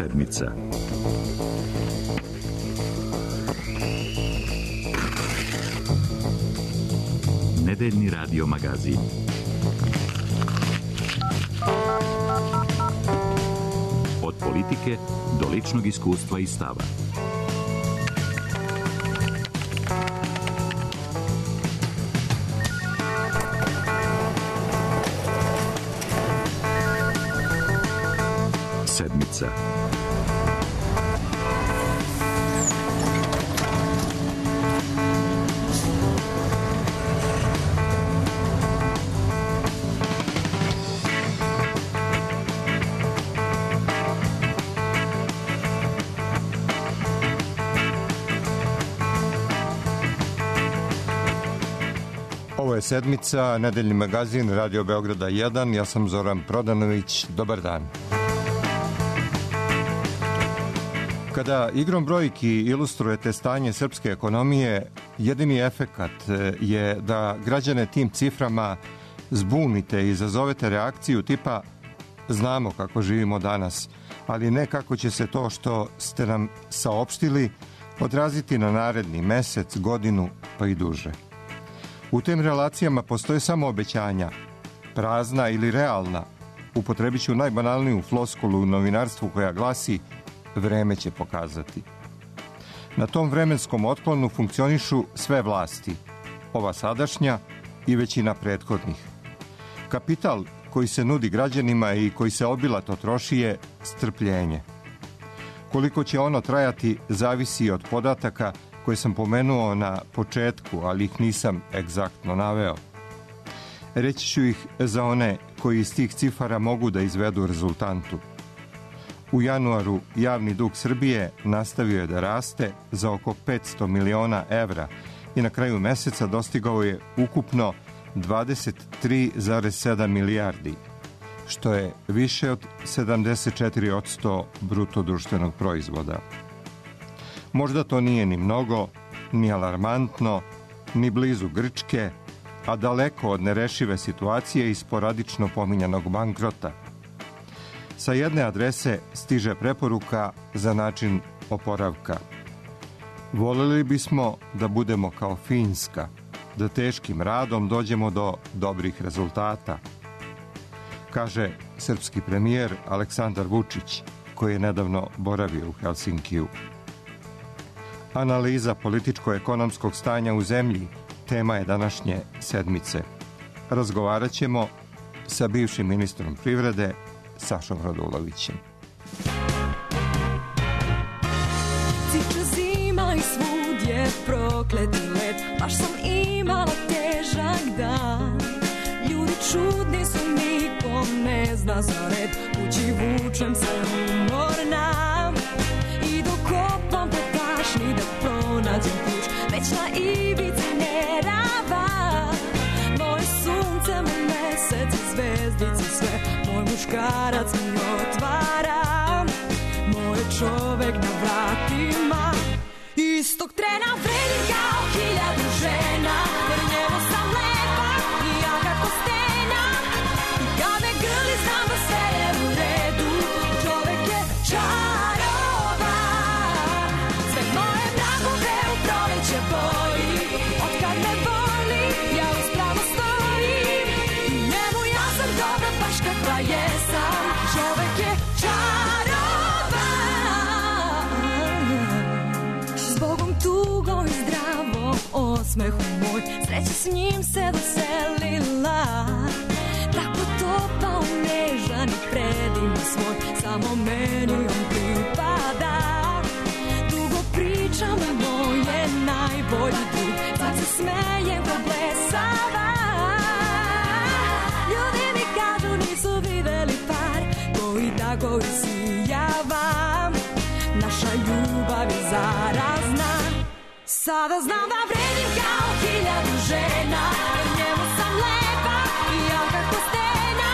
sedmica. Nedeljni radio magazin. Od politike do ličnog iskustva i stava. Sedmica. Ovo je sedmica, nedeljni magazin Radio Beograda 1. Ja sam Zoran Prodanović. Dobar dan. Kada igrom brojki ilustrujete stanje srpske ekonomije, jedini efekat je da građane tim ciframa zbunite i izazovete reakciju tipa znamo kako živimo danas, ali ne kako će se to što ste nam saopštili odraziti na naredni mesec, godinu pa i duže. U tim relacijama postoje samo obećanja, prazna ili realna. Upotrebit ću najbanalniju floskulu u novinarstvu koja glasi vreme će pokazati. Na tom vremenskom otklonu funkcionišu sve vlasti, ova sadašnja i većina prethodnih. Kapital koji se nudi građanima i koji se obilato troši je strpljenje. Koliko će ono trajati zavisi od podataka koje sam pomenuo na početku, ali ih nisam egzaktno naveo. Reći ću ih za one koji iz tih cifara mogu da izvedu rezultantu. U januaru javni dug Srbije nastavio je da raste za oko 500 miliona evra i na kraju meseca dostigao je ukupno 23,7 milijardi, što je više od 74% bruto društvenog proizvoda. Možda to nije ni mnogo, ni alarmantno, ni blizu Grčke, a daleko od nerešive situacije i sporadično pominjanog bankrota. Sa jedne adrese stiže preporuka za način oporavka. Voljeli bismo da budemo kao Finska, da teškim radom dođemo do dobrih rezultata, kaže srpski premijer Aleksandar Vučić, koji je nedavno boravio u Helsinkiju. Analiza političko-ekonomskog stanja u zemlji tema je današnje sedmice. Razgovarat ćemo sa bivšim ministrom privrede Sašom Radulovićem. Ciče zima i svud je prokleti let, baš sam imala težak dan. Ljudi čudni su, niko ne zna za red, kući vučem se umorna. I dok kopam po tašni da pronađem ključ, već na ivici nerava. Moje sunce, moj mesec i zvezdice sve, moj muškarac mi otvara, moj čovek na vratima. Istog trena vredim kao 1000 žena, jer njemu sam lepa i jaka ko stena. I kad me grli znam da sve je u redu, čovek je čarovan. Sve moje vragove u proleće boji, od kad me voli ja uspravno stojim. I njemu ja sam dobra baš kakva jesam, čovek je čarovan. Zbogom tugom i zdravom osmehu moj, sreća s njim se doselila. Tako topao, nežan i predivno svoj, samo meni on pripada. Dugo pričam, moj je najbolji drug, sad se smejem ko blesava. Ljudi mi kažu nisu videli par koji tako isijava. Naša ljubav je zarazna, sada znam da vredim kao 1000 žena, jer njemu sam lepa i jaka ko stena.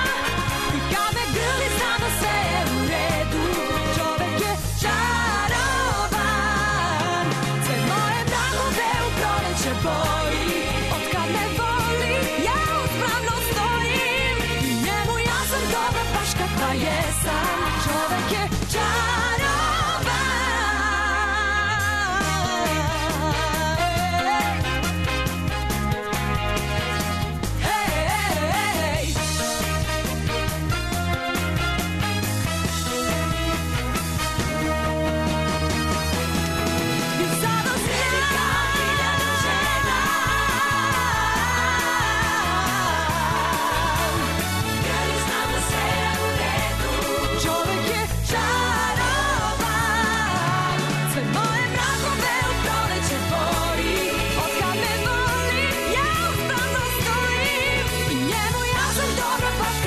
I kad me grli znam da sve je u redu, čovek je čarovan. Sve moje vragove u proleće boji, od kad me voli ja uspravno stojim. I njemu ja sam dobra baš kakva jesam, čovek je čarovan.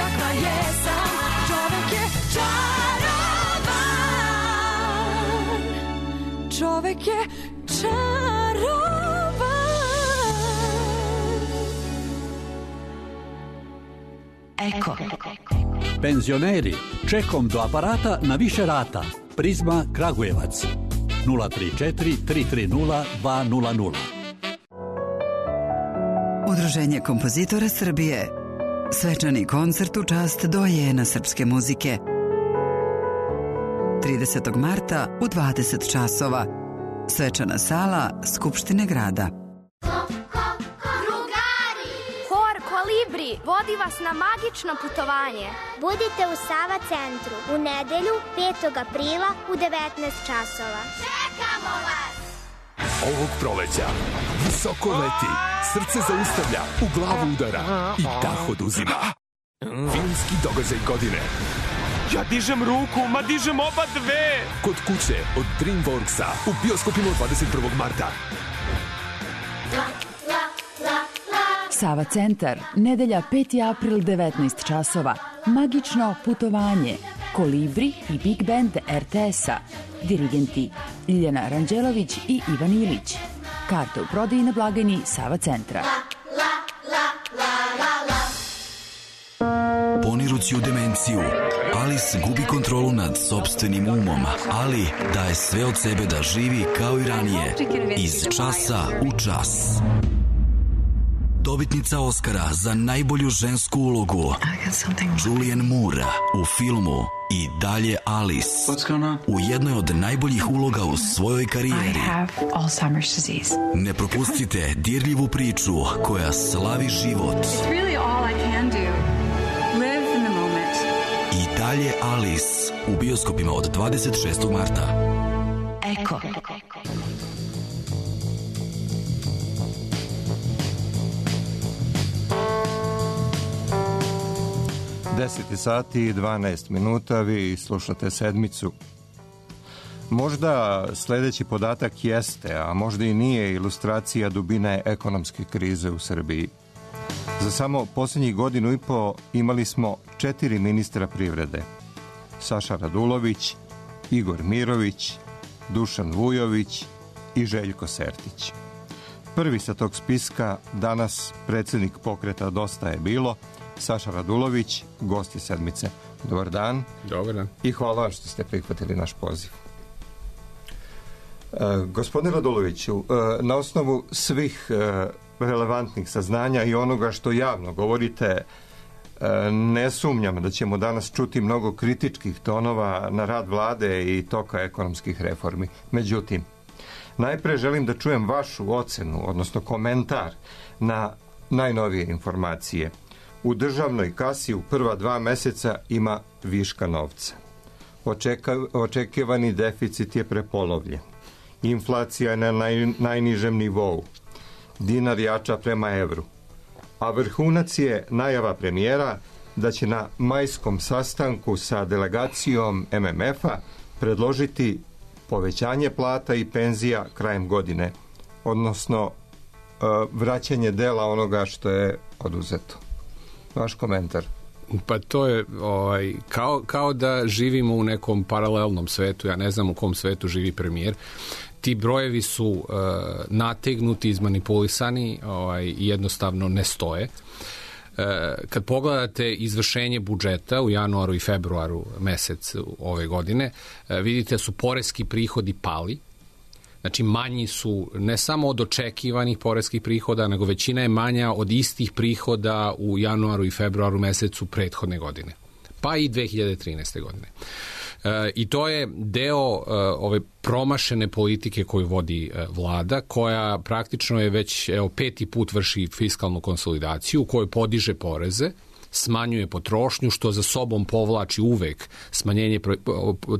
kakva jesam. Čovek je čarovan. Čovek je čarovan. Eko. Penzioneri, čekom do aparata na više rata. Prizma Kragujevac 034 330 200. Udruženje kompozitora Srbije. Svečani koncert u čast dojena srpske muzike. 30. marta u 20 časova. Svečana sala Skupštine grada. Kolibri vodi vas na magično putovanje. Budite u Sava centru u nedelju 5. aprila u 19 časova. Čekamo vas! Ovog proleća visoko leti, srce zaustavlja, u glavu udara i dah oduzima. Filmski događaj godine. Ja dižem ruku, ma dižem oba dve! Kod kuće od DreamWorksa u bioskopima 21. marta. Sava centar, nedelja 5. april 19 časova. Magično putovanje. Kolibri i Big Band RTS-a. Dirigenti Ljiljana Ranđelović i Ivan Ilić. Karte u prodaji na blagajni Sava centra. Ponirući u demenciju, Alice gubi kontrolu nad sopstvenim umom, ali daje sve od sebe da živi kao i ranije, iz časa u čas. Dobitnica Oscara za najbolju žensku ulogu Julianne Moore u filmu I dalje Alice, u jednoj od najboljih uloga u svojoj karijeri. Ne propustite dirljivu priču koja slavi život. I dalje Alice u bioskopima od 26. marta. Eko. 10 sati i 12 minuta, vi slušate Sedmicu. Možda sledeći podatak jeste, a možda i nije, ilustracija dubine ekonomske krize u Srbiji. Za samo posljednjih godinu i po imali smo 4 ministra privrede. Saša Radulović, Igor Mirović, Dušan Vujović i Željko Sertić. Prvi sa tog spiska danas predsjednik pokreta Dosta je bilo, Saša Radulović, gost je Sedmice. Dobar dan. Dobar dan. I hvala vam što ste prihvatili naš poziv. Gospodine Raduloviću, na osnovu svih relevantnih saznanja i onoga što javno govorite, ne sumnjam da ćemo danas čuti mnogo kritičkih tonova na rad vlade i toka ekonomskih reformi. Međutim, najpre želim da čujem vašu ocenu, odnosno komentar na najnovije informacije. U državnoj kasi u prva 2 meseca ima viška novca. Očekivani deficit je prepolovljen. Inflacija je na najnižem nivou. Dinar jača prema evru. A vrhunac je najava premijera da će na majskom sastanku sa delegacijom MMF-a predložiti povećanje plata i penzija krajem godine, odnosno vraćanje dela onoga što je oduzeto. Vaš komentar. Pa to je kao da živimo u nekom paralelnom svetu. Ja ne znam u kom svetu živi premijer. Ti brojevi su nategnuti, izmanipulisani i jednostavno ne stoje. Kad pogledate izvršenje budžeta u januaru i februaru mesec ove godine, vidite da su poreski prihodi pali. Znači manji su ne samo od očekivanih poreskih prihoda, nego većina je manja od istih prihoda u januaru i februaru mesecu prethodne godine. Pa i 2013. godine. I to je deo ove promašene politike koju vodi vlada, koja praktično je već 5. put vrši fiskalnu konsolidaciju, u kojoj podiže poreze, smanjuje potrošnju, što za sobom povlači uvek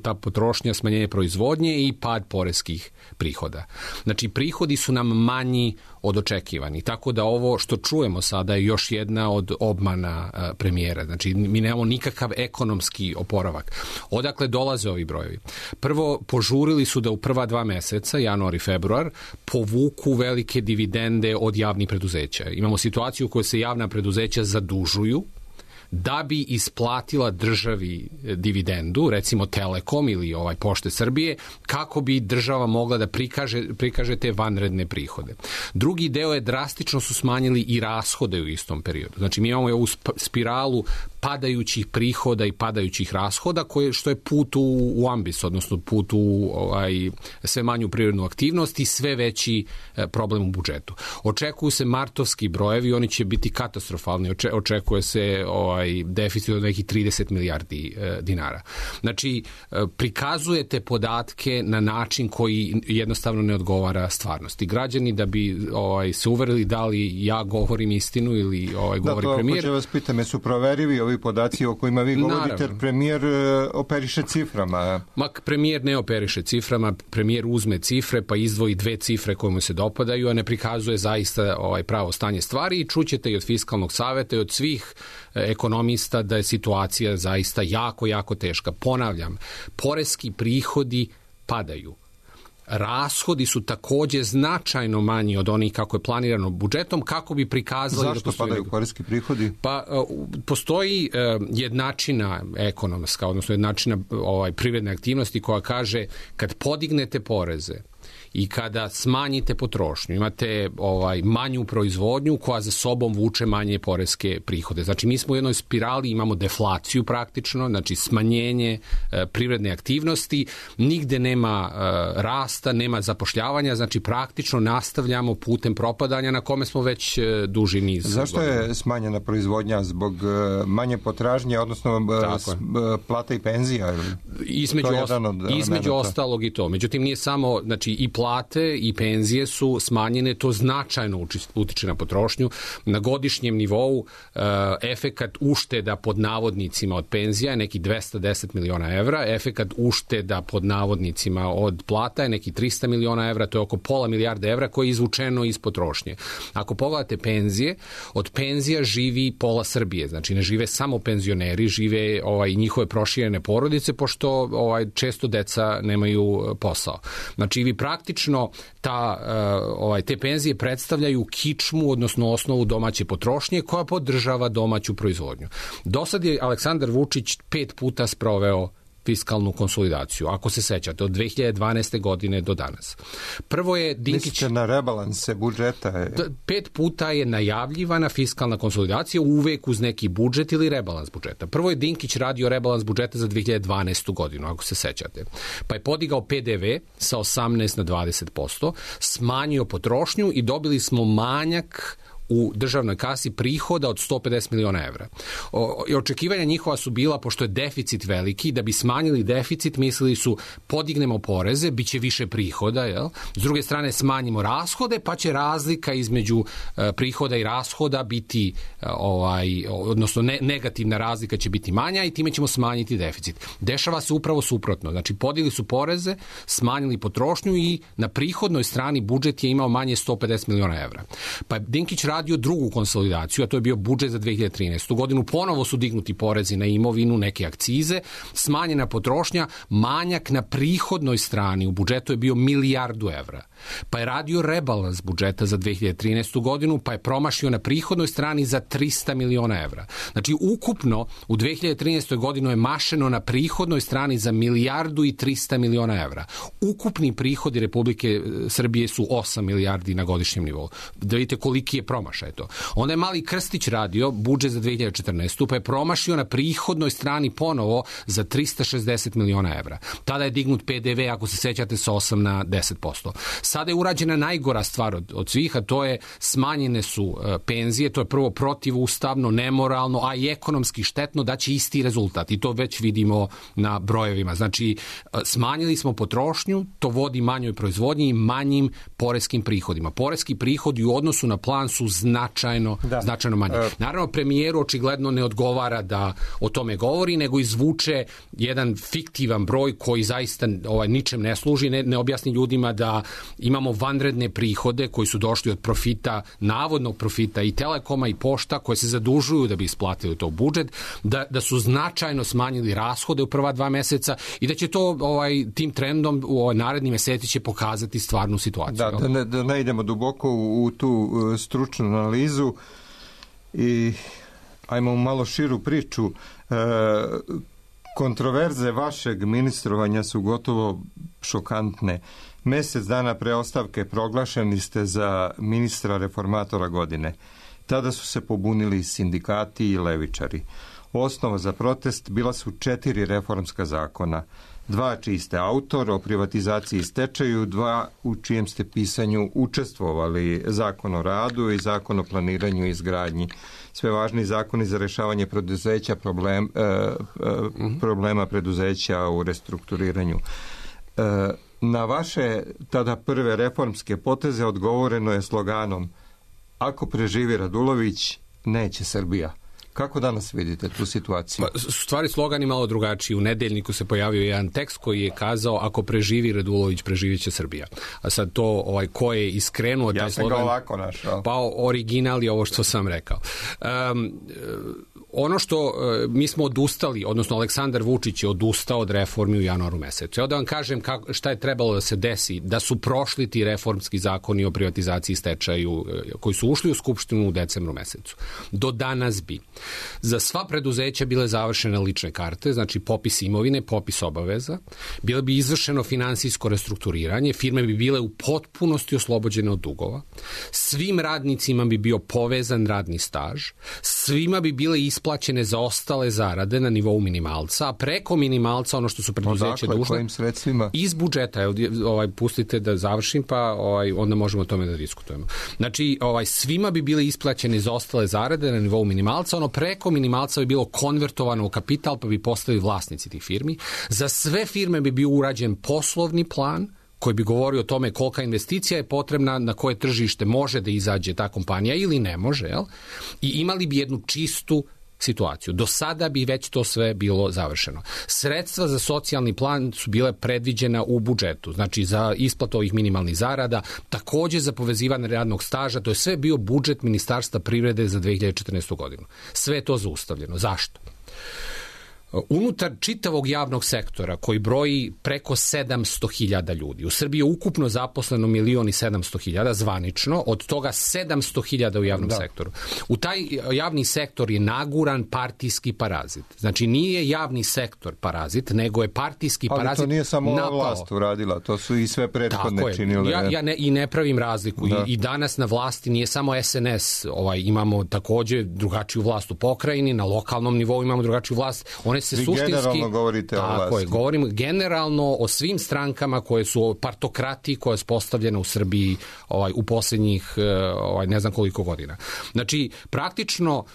ta potrošnja, smanjenje proizvodnje i pad poreskih prihoda. Znači, prihodi su nam manji od očekivani. Tako da ovo što čujemo sada je još jedna od obmana premijera. Znači, mi nemamo nikakav ekonomski oporavak. Odakle dolaze ovi brojevi? Prvo, požurili su da u prva 2 meseca, januar i februar, povuku velike dividende od javnih preduzeća. Imamo situaciju u kojoj se javna preduzeća zadužuju, da bi isplatila državi dividendu, recimo Telekom ili Pošte Srbije, kako bi država mogla da prikaže te vanredne prihode. Drugi deo je drastično su smanjili i rashode u istom periodu. Znači mi imamo ovu spiralu padajućih prihoda i padajućih rashoda, što je put u ambis, odnosno put u sve manju privrednu aktivnost i sve veći problem u budžetu. Očekuju se martovski brojevi, oni će biti katastrofalni. Očekuje se deficit od nekih 30 milijardi dinara. Znači, prikazujete podatke na način koji jednostavno ne odgovara stvarnosti. Građani, da bi se uverili da li ja govorim istinu ili govori premijer. Da, to hoće vas pitam, su proverivi ovi podaci o kojima vi govorite, jer premijer operiše ciframa. Premijer ne operiše ciframa, premijer uzme cifre pa izdvoji 2 cifre koje mu se dopadaju, a ne prikazuje zaista pravo stanje stvari i čućete i od Fiskalnog saveta i od svih ekonomista da je situacija zaista jako, jako teška. Ponavljam, poreski prihodi padaju. Rashodi su takođe značajno manji od onih kako je planirano budžetom, kako bi prikazali... Zašto padaju poreski prihodi? Pa, postoji jednačina ekonomska, odnosno jednačina privredne aktivnosti koja kaže kad podignete poreze i kada smanjite potrošnju, imate manju proizvodnju koja za sobom vuče manje poreske prihode. Znači, mi smo u jednoj spirali, imamo deflaciju praktično, znači smanjenje privredne aktivnosti, nigde nema rasta, nema zapošljavanja, znači praktično nastavljamo putem propadanja na kome smo već duži niz. Zašto je smanjena proizvodnja? Zbog manje potražnje, odnosno plata i penzija? Između ostalog i to. Međutim, nije samo, znači i plate i penzije su smanjene, to značajno utiče na potrošnju. Na godišnjem nivou efekat ušteda pod navodnicima od penzija je neki 210 miliona evra, efekat ušteda pod navodnicima od plata je neki 300 miliona evra, to je oko pola milijarde evra koje je izvučeno iz potrošnje. Ako pogledate penzije, od penzija živi pola Srbije, znači ne žive samo penzioneri, žive i njihove proširene porodice, pošto često deca nemaju posao. Znači vi praktično te penzije predstavljaju kičmu, odnosno osnovu domaće potrošnje koja podržava domaću proizvodnju. Do sad je Aleksandar Vučić 5 puta sproveo fiskalnu konsolidaciju, ako se sećate, od 2012. godine do danas. Prvo je Dinkić... Mislite na rebalanse budžeta? 5 puta je najavljivana fiskalna konsolidacija, uvek uz neki budžet ili rebalans budžeta. Prvo je Dinkić radio rebalans budžeta za 2012. godinu, ako se sećate. Pa je podigao PDV sa 18 na 20%, smanjio potrošnju i dobili smo manjak u državnoj kasi prihoda od 150 miliona evra. Očekivanja njihova su bila, pošto je deficit veliki, da bi smanjili deficit, mislili su podignemo poreze, bit će više prihoda, jel? S druge strane smanjimo rashode, pa će razlika između prihoda i rashoda biti, odnosno negativna razlika će biti manja i time ćemo smanjiti deficit. Dešava se upravo suprotno. Znači, podigli su poreze, smanjili potrošnju i na prihodnoj strani budžet je imao manje 150 miliona evra. Pa je Dinkić radio drugu konsolidaciju, a to je bio budžet za 2013. godinu. Ponovo su dignuti porezi na imovinu, neke akcize, smanjena potrošnja, manjak na prihodnoj strani u budžetu je bio 1 milijardu evra. Pa je radio rebalans budžeta za 2013. godinu, pa je promašio na prihodnoj strani za 300 miliona evra. Znači, ukupno u 2013. godinu je mašeno na prihodnoj strani za 1 milijardu i 300 miliona evra. Ukupni prihodi Republike Srbije su 8 milijardi na godišnjem nivou. Da vidite koliki je promašaj to. Onda je Mali Krstić radio budžet za 2014. pa je promašio na prihodnoj strani ponovo za 360 miliona evra. Tada je dignut PDV, ako se sećate, sa 8 na 10%. Sada je urađena najgora stvar od svih, a to je smanjene su penzije, to je prvo protivustavno, nemoralno, a i ekonomski štetno, da će isti rezultat i to već vidimo na brojevima. Znači, smanjili smo potrošnju, to vodi manjoj proizvodnji i manjim poreskim prihodima. Poreski prihodi u odnosu na plan su značajno manji. Naravno, premijeru očigledno ne odgovara da o tome govori, nego izvuče jedan fiktivan broj koji zaista ničem ne služi, ne objasni ljudima da imamo vanredne prihode koji su došli od profita, navodnog profita i Telekoma i Pošta koje se zadužuju da bi isplatili to budžet, da su značajno smanjili rashode u prva 2 meseca i da će to tim trendom u narednim meseci će pokazati stvarnu situaciju. Da ne idemo duboko u tu stručnu analizu i ajmo malo širu priču. Kontroverze vašeg ministrovanja su gotovo šokantne. Mjesec dana pre ostavke proglašeni ste za ministra reformatora godine. Tada su se pobunili sindikati i levičari. Osnova za protest bila su 4 reformska zakona. 2 čiji ste autor, o privatizaciji i stečaju, 2 u čijem ste pisanju učestvovali, Zakon o radu i Zakon o planiranju i izgradnji. Sve važni zakoni za rješavanje preduzeća, problema preduzeća u restrukturiranju. Na vaše tada prve reformske poteze odgovoreno je sloganom: ako preživi Radulović, neće Srbija. Kako danas vidite tu situaciju? Stvari slogan je malo drugačiji. U Nedeljniku se pojavio jedan tekst koji je kazao: ako preživi Radulović, preživit će Srbija. A sad to ko je iskrenuo taj slogan... Ja sam ga ovako našao. Pa original je ovo što sam rekao. Ono što mi smo odustali, odnosno Aleksandar Vučić je odustao od reformi u januaru mesecu. Evo da vam kažem šta je trebalo da se desi da su prošli ti reformski zakoni o privatizaciji i stečaju koji su ušli u Skupštinu u decembru mesecu. Do danas bi za sva preduzeća bile završene lične karte, znači popis imovine, popis obaveza, bilo bi izvršeno finansijsko restrukturiranje, firme bi bile u potpunosti oslobođene od dugova, svim radnicima bi bio povezan radni staž, svima bi bile isplaćene zaostale zarade na nivou minimalca, a preko minimalca ono što su preduzeće dužne... Kojim sredstvima? Iz budžeta. Pustite da završim, pa onda možemo o tome da diskutujemo. Znači, svima bi bile isplaćene zaostale zarade na nivou minimalca, ono preko minimalca bi bilo konvertovano u kapital, pa bi postali vlasnici tih firmi. Za sve firme bi bio urađen poslovni plan koji bi govorio o tome kolika investicija je potrebna, na koje tržište može da izađe ta kompanija ili ne može, jel? I imali bi jednu čistu situaciju. Do sada bi već to sve bilo završeno. Sredstva za socijalni plan su bile predviđena u budžetu, znači za isplatu ovih minimalnih zarada, takođe za povezivanje radnog staža, to je sve bio budžet Ministarstva privrede za 2014. godinu. Sve je to zaustavljeno. Zašto? Unutar čitavog javnog sektora koji broji preko 700.000 ljudi. U Srbiji je ukupno zaposleno 1.700.000 zvanično, od toga 700.000 u javnom sektoru. U taj javni sektor je naguran partijski parazit. Znači nije javni sektor parazit, nego je partijski parazit napao. Ali to nije samo ova vlast uradila, to su i sve prethodne činile. Ja ne pravim razliku. I danas na vlasti nije samo SNS, imamo takođe drugačiju vlast u pokrajini, na lokalnom nivou imamo drugačiju vlast. One se suštinski... generalno govorite o vlasti. Tako je, govorim generalno o svim strankama koje su partokrati koja je postavljena u Srbiji u posljednjih ne znam koliko godina. Znači, praktično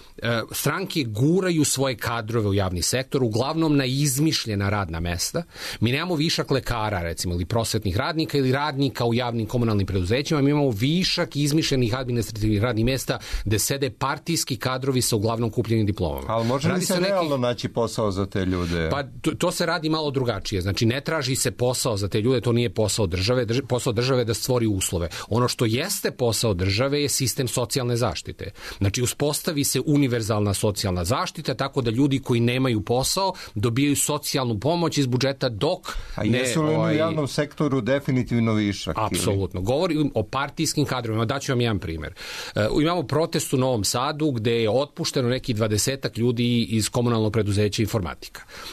stranke guraju svoje kadrove u javni sektor, uglavnom na izmišljena radna mesta. Mi nemamo višak lekara, recimo, ili prosvetnih radnika ili radnika u javnim komunalnim preduzećima, mi imamo višak izmišljenih administrativnih radnih mesta gde sede partijski kadrovi sa uglavnom kupljenim diplomama. Ali može li se realno naći posao za te ljude? Pa to se radi malo drugačije. Znači ne traži se posao za te ljude, to nije posao države. Posao države je da stvori uslove. Ono što jeste posao države je sistem socijalne zaštite. Znači uspostavi se univerzalna socijalna zaštita tako da ljudi koji nemaju posao dobijaju socijalnu pomoć iz budžeta dok A jesu li u javnom sektoru definitivno višak? Apsolutno. Govorim o partijskim kadrovima. Daću vam jedan primjer. Imamo protest u Novom Sadu gde je otpušteno neki 20-ak ljudi iz komunalnog preduzeća informatika.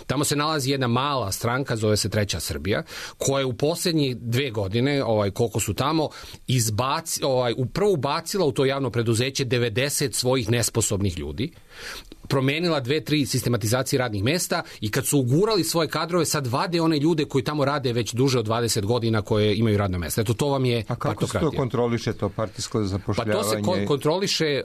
Tamo se nalazi jedna mala stranka, zove se Treća Srbija, koja je u posljednje 2 godine, koliko su tamo, upravo ubacila u to javno preduzeće 90 svojih nesposobnih ljudi, promenila 2-3 sistematizacije radnih mesta i kad su ugurali svoje kadrove, sad vade one ljude koji tamo rade već duže od 20 godina koje imaju radno mesto. Eto, to vam je partokratija. A kako se to kontroliše, to partijsko zapošljavanje? Pa to se kontroliše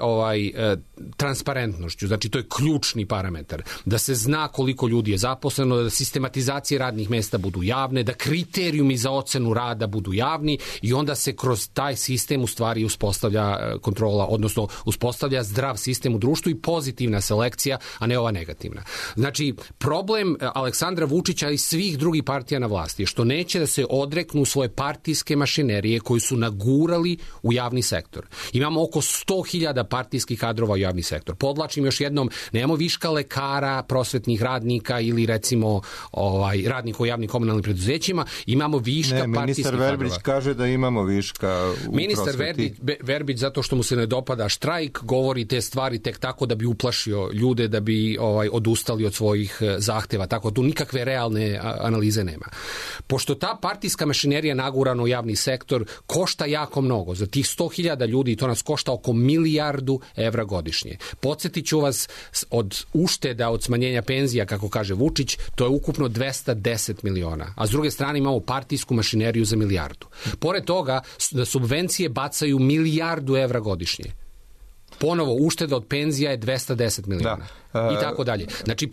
transparentnošću, znači to je ključni parametar. Da se zna koliko ljudi je zaposleno, da sistematizacije radnih mesta budu javne, da kriterijumi za ocenu rada budu javni i onda se kroz taj sistem u stvari uspostavlja kontrola, odnosno uspostavlja zdrav sistem u društvu i pozitivna selekcija, a ne ova negativna. Znači, problem Aleksandra Vučića i svih drugih partija na vlasti je što neće da se odreknu svoje partijske mašinerije koji su nagurali u javni sektor. Imamo oko 100.000 partijskih kadrova u javni sektor. Podlačim još jednom, nemamo viška lekara, prosvetnih radnika ili recimo radnika u javnim komunalnim preduzećima, imamo viška partijskih kadrova. Ministar Verbić kaže da imamo viška u Ministar Verbić, zato što mu se ne dopada štrajk, govori te stvari tek tako da bi uplašio ljude da bi odustali od svojih zahteva. Tako tu nikakve realne analize nema. Pošto ta partijska mašinerija nagurana u javni sektor košta jako mnogo. Za tih 100.000 ljudi to nas košta oko milijardu evra godišnje. Podsjetit ću vas, od ušteda, od smanjenja penzija, kako kaže Vučić, to je ukupno 210 miliona. A s druge strane imamo partijsku mašineriju za milijardu. Pored toga, subvencije bacaju milijardu evra godišnje. Ponovo, ušteda od penzija je 210 miliona. I tako dalje. Znači,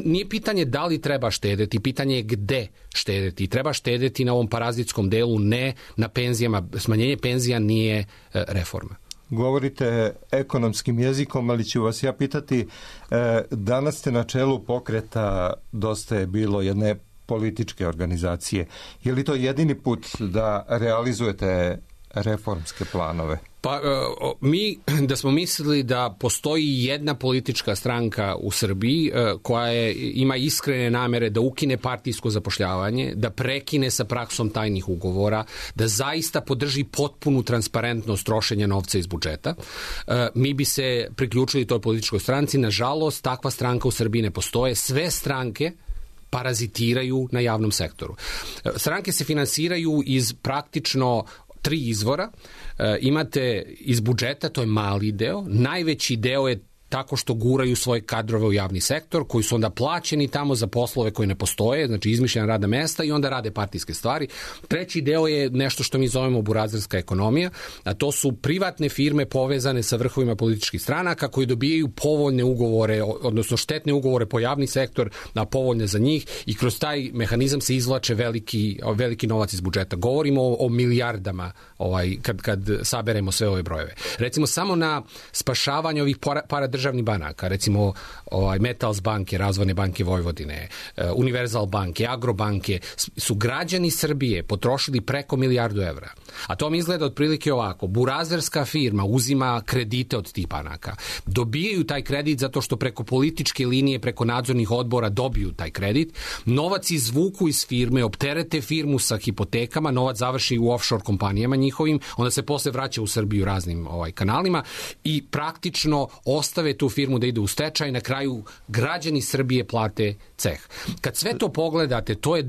nije pitanje da li treba štedeti, pitanje je gde štedeti. Treba štedeti na ovom parazitskom delu, ne na penzijama. Smanjenje penzija nije reforma. Govorite ekonomskim jezikom, ali ću vas ja pitati, danas ste na čelu pokreta Dosta je bilo, jedne političke organizacije. Je li to jedini put da realizujete reformske planove? Pa mi da smo mislili da postoji jedna politička stranka u Srbiji koja ima iskrene namere da ukine partijsko zapošljavanje, da prekine sa praksom tajnih ugovora, da zaista podrži potpunu transparentnost trošenja novca iz budžeta, mi bi se priključili toj političkoj stranci. Nažalost, takva stranka u Srbiji ne postoje. Sve stranke parazitiraju na javnom sektoru. Stranke se finansiraju iz praktično 3 izvora. Imate iz budžeta, to je mali deo. Najveći deo je tako što guraju svoje kadrove u javni sektor, koji su onda plaćeni tamo za poslove koji ne postoje, znači izmišljena radna mesta, i onda rade partijske stvari. Treći deo je nešto što mi zovemo burazerska ekonomija, a to su privatne firme povezane sa vrhovima političkih stranaka koji dobijaju povoljne ugovore, odnosno štetne ugovore po javni sektor, na povoljne za njih, i kroz taj mehanizam se izvlače veliki novac iz budžeta. Govorimo o milijardama kad saberemo sve ove brojeve. Recimo, samo na spašavanje ovih paradržavnih banaka, recimo Metals banke, Razvojne banke Vojvodine, Univerzal banke, Agrobanke, su građani Srbije potrošili preko milijardu evra. A to mi izgleda otprilike ovako. Burazerska firma uzima kredite od tih banaka. Dobijaju taj kredit zato što preko političke linije, preko nadzornih odbora dobiju taj kredit. Novac izvuku iz firme, opterete firmu sa hipotekama, novac završi u offshore kompanijama njihovim, onda se posle vraća u Srbiju raznim kanalima i praktično ostave tu firmu da ide u stečaj, na kraju građani Srbije plate ceh. Kad sve to pogledate, to je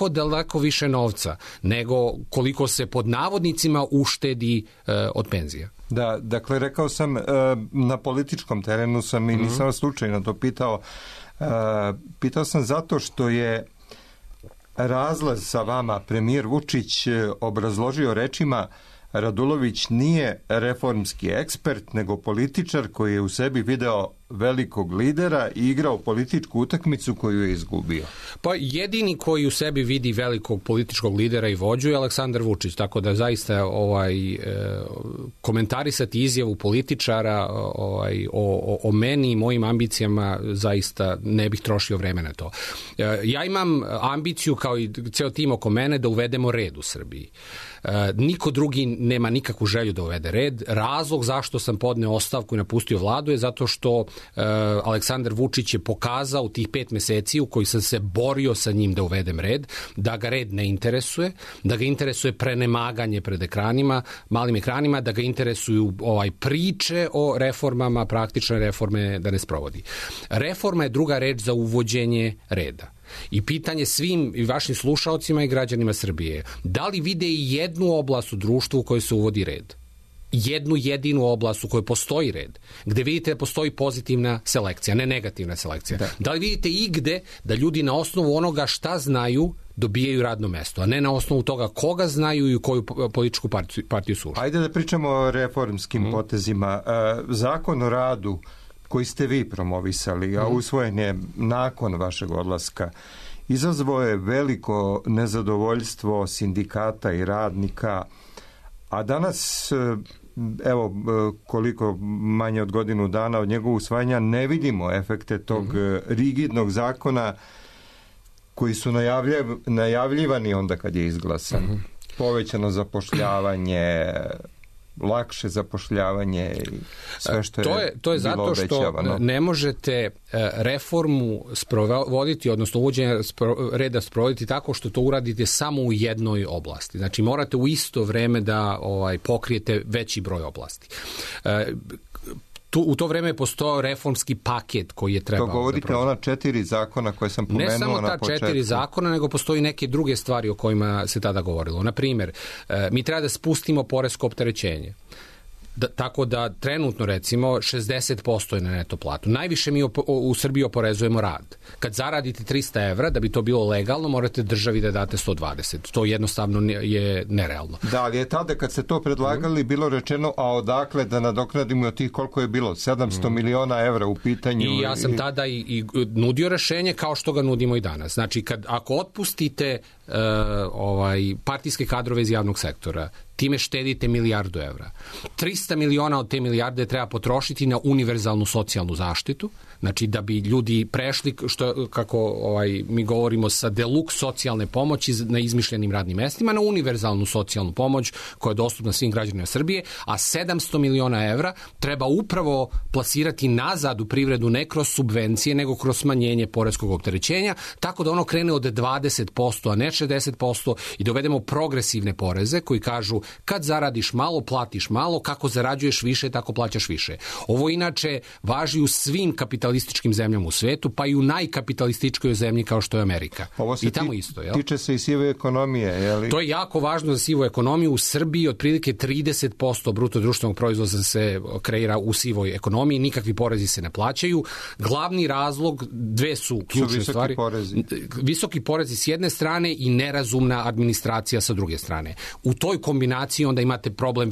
daleko više novca nego koliko se pod navodnicima uštedi od penzija. Da, dakle, rekao sam, na političkom terenu sam i nisam slučajno to pitao. Pitao sam zato što je razlaz sa vama premijer Vučić obrazložio rečima: Radulović nije reformski ekspert, nego političar koji je u sebi video velikog lidera i igrao političku utakmicu koju je izgubio. Pa jedini koji u sebi vidi velikog političkog lidera i vođu je Aleksandar Vučić, tako da zaista komentarisati izjavu političara o meni i mojim ambicijama zaista ne bih trošio vreme na to. Ja imam ambiciju, kao i ceo tim oko mene, da uvedemo red u Srbiji. Niko drugi nema nikakvu želju da uvede red. Razlog zašto sam podneo ostavku i napustio vladu je zato što Aleksandar Vučić je pokazao u tih 5 meseci u kojih sam se borio sa njim da uvedem red, da ga red ne interesuje, da ga interesuje prenemaganje pred ekranima, malim ekranima, da ga interesuju priče o reformama, praktične reforme da ne sprovodi. Reforma je druga reč za uvođenje reda. I pitanje svim i vašim slušaocima i građanima Srbije: da li vide i jednu oblast u društvu u kojoj se uvodi red? Jednu jedinu oblast u kojoj postoji red, gde vidite da postoji pozitivna selekcija, ne negativna selekcija. Da li vidite igde da ljudi na osnovu onoga šta znaju dobijaju radno mesto, a ne na osnovu toga koga znaju i u koju političku partiju su ušli? Ajde da pričamo o reformskim potezima. Zakon o radu koji ste vi promovisali, a usvojen je nakon vašeg odlaska, izazvao je veliko nezadovoljstvo sindikata i radnika, a danas, evo, koliko manje od godinu dana od njegovog usvajanja, ne vidimo efekte tog rigidnog zakona koji su najavljivani onda kad je izglasan. Povećano zapošljavanje, lakše zapošljavanje i sve što je to je zato što ne možete reformu sprovoditi, odnosno uvođenje reda sprovoditi tako što to uradite samo u jednoj oblasti. Znači morate u isto vreme da pokrijete veći broj oblasti. u to vreme je postojao reformski paket koji je trebao. To govorite o ona 4 zakona koje sam pomenuo na početku. Ne samo ta 4 zakona, nego postoji neke druge stvari o kojima se tada govorilo. Na primjer, mi treba da spustimo poresko opterećenje. Tako da trenutno recimo 60% je na neto platu. Najviše mi u Srbiji oporezujemo rad. Kad zaradite 300 evra, da bi to bilo legalno, morate državi da date 120. To jednostavno je nerealno. Da, ali je tada kad se to predlagali bilo rečeno, a odakle da nadoknadimo tih koliko je bilo? 700 miliona evra u pitanju. I ja sam tada i nudio rešenje kao što ga nudimo i danas. Znači, ako otpustite partijske kadrove iz javnog sektora, time štedite milijardu evra. 300 miliona od te milijarde treba potrošiti na univerzalnu socijalnu zaštitu, znači da bi ljudi prešli, kako mi govorimo, sa deluks socijalne pomoći na izmišljenim radnim mestima, na univerzalnu socijalnu pomoć koja je dostupna svim građanima Srbije, a 700 miliona evra treba upravo plasirati nazad u privredu ne kroz subvencije, nego kroz smanjenje poreskog opterećenja, tako da ono krene od 20%, a ne 60% i dovedemo progresivne poreze koji kažu kad zaradiš malo, platiš malo, kako zarađuješ više, tako plaćaš više. Ovo inače važi u svim kapitalističkim zemljama u svetu, pa i u najkapitalističkoj zemlji kao što je Amerika. Ovo se i tamo isto, jel? Tiče se i sive ekonomije, je li? To je jako važno za sivu ekonomiju. U Srbiji otprilike 30% bruto društvenog proizvoda se kreira u sivoj ekonomiji, nikakvi porezi se ne plaćaju. Glavni razlog, dve su ključne stvari. Visoki porezi s jedne strane i nerazumna administracija sa druge strane. U toj kombinaciji onda imate problem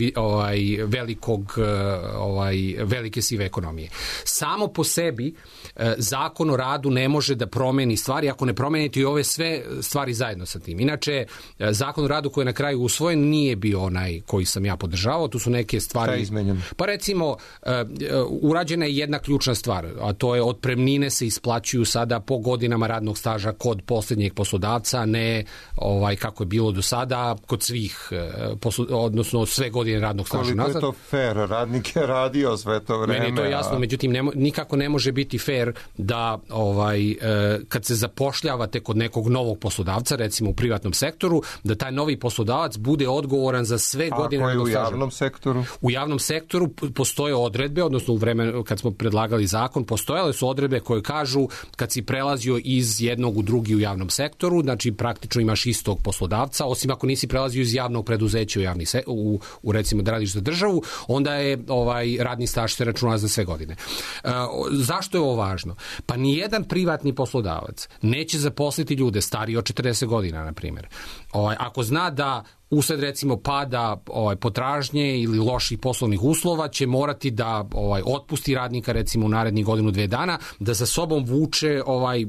velike sive ekonomije. Samo po sebi zakon o radu ne može da promeni stvari ako ne promenite i ove sve stvari zajedno sa tim. Inače, zakon o radu koji je na kraju usvojen nije bio onaj koji sam ja podržavao, tu su neke stvari. Šta je izmenjeno? Pa recimo, urađena je jedna ključna stvar, a to je otpremnine se isplaćuju sada po godinama radnog staža kod posljednjeg poslodavca, ne kako je bilo do sada kod svih, odnosno sve godine radnog staža nazad. Koliko je to fair? Radnik je radio sve to vreme. Meni je to jasno, međutim nikako ne može biti fair da kad se zapošljavate kod nekog novog poslodavca, recimo u privatnom sektoru, da taj novi poslodavac bude odgovoran za sve godine radnog staža. A ako je u javnom sektoru? U javnom sektoru postoje odredbe, odnosno u vremenu kad smo predlagali zakon, postojale su odredbe koje kažu kad si prelazio iz jednog u drugi u javnom sektoru, znači praktično imaš istog poslodavca, osim ako nisi prelazio iz javnog preduzeća u recimo da radiš za državu, onda je radni staž se računa za sve godine. Zašto je ovo važno? Pa nijedan privatni poslodavac neće zaposliti ljude stariji od 40 godina, na primjer. Ako zna da usled recimo pada potražnje ili loših poslovnih uslova će morati da otpusti radnika recimo u narednih godinu, 2 dana, da za sobom vuče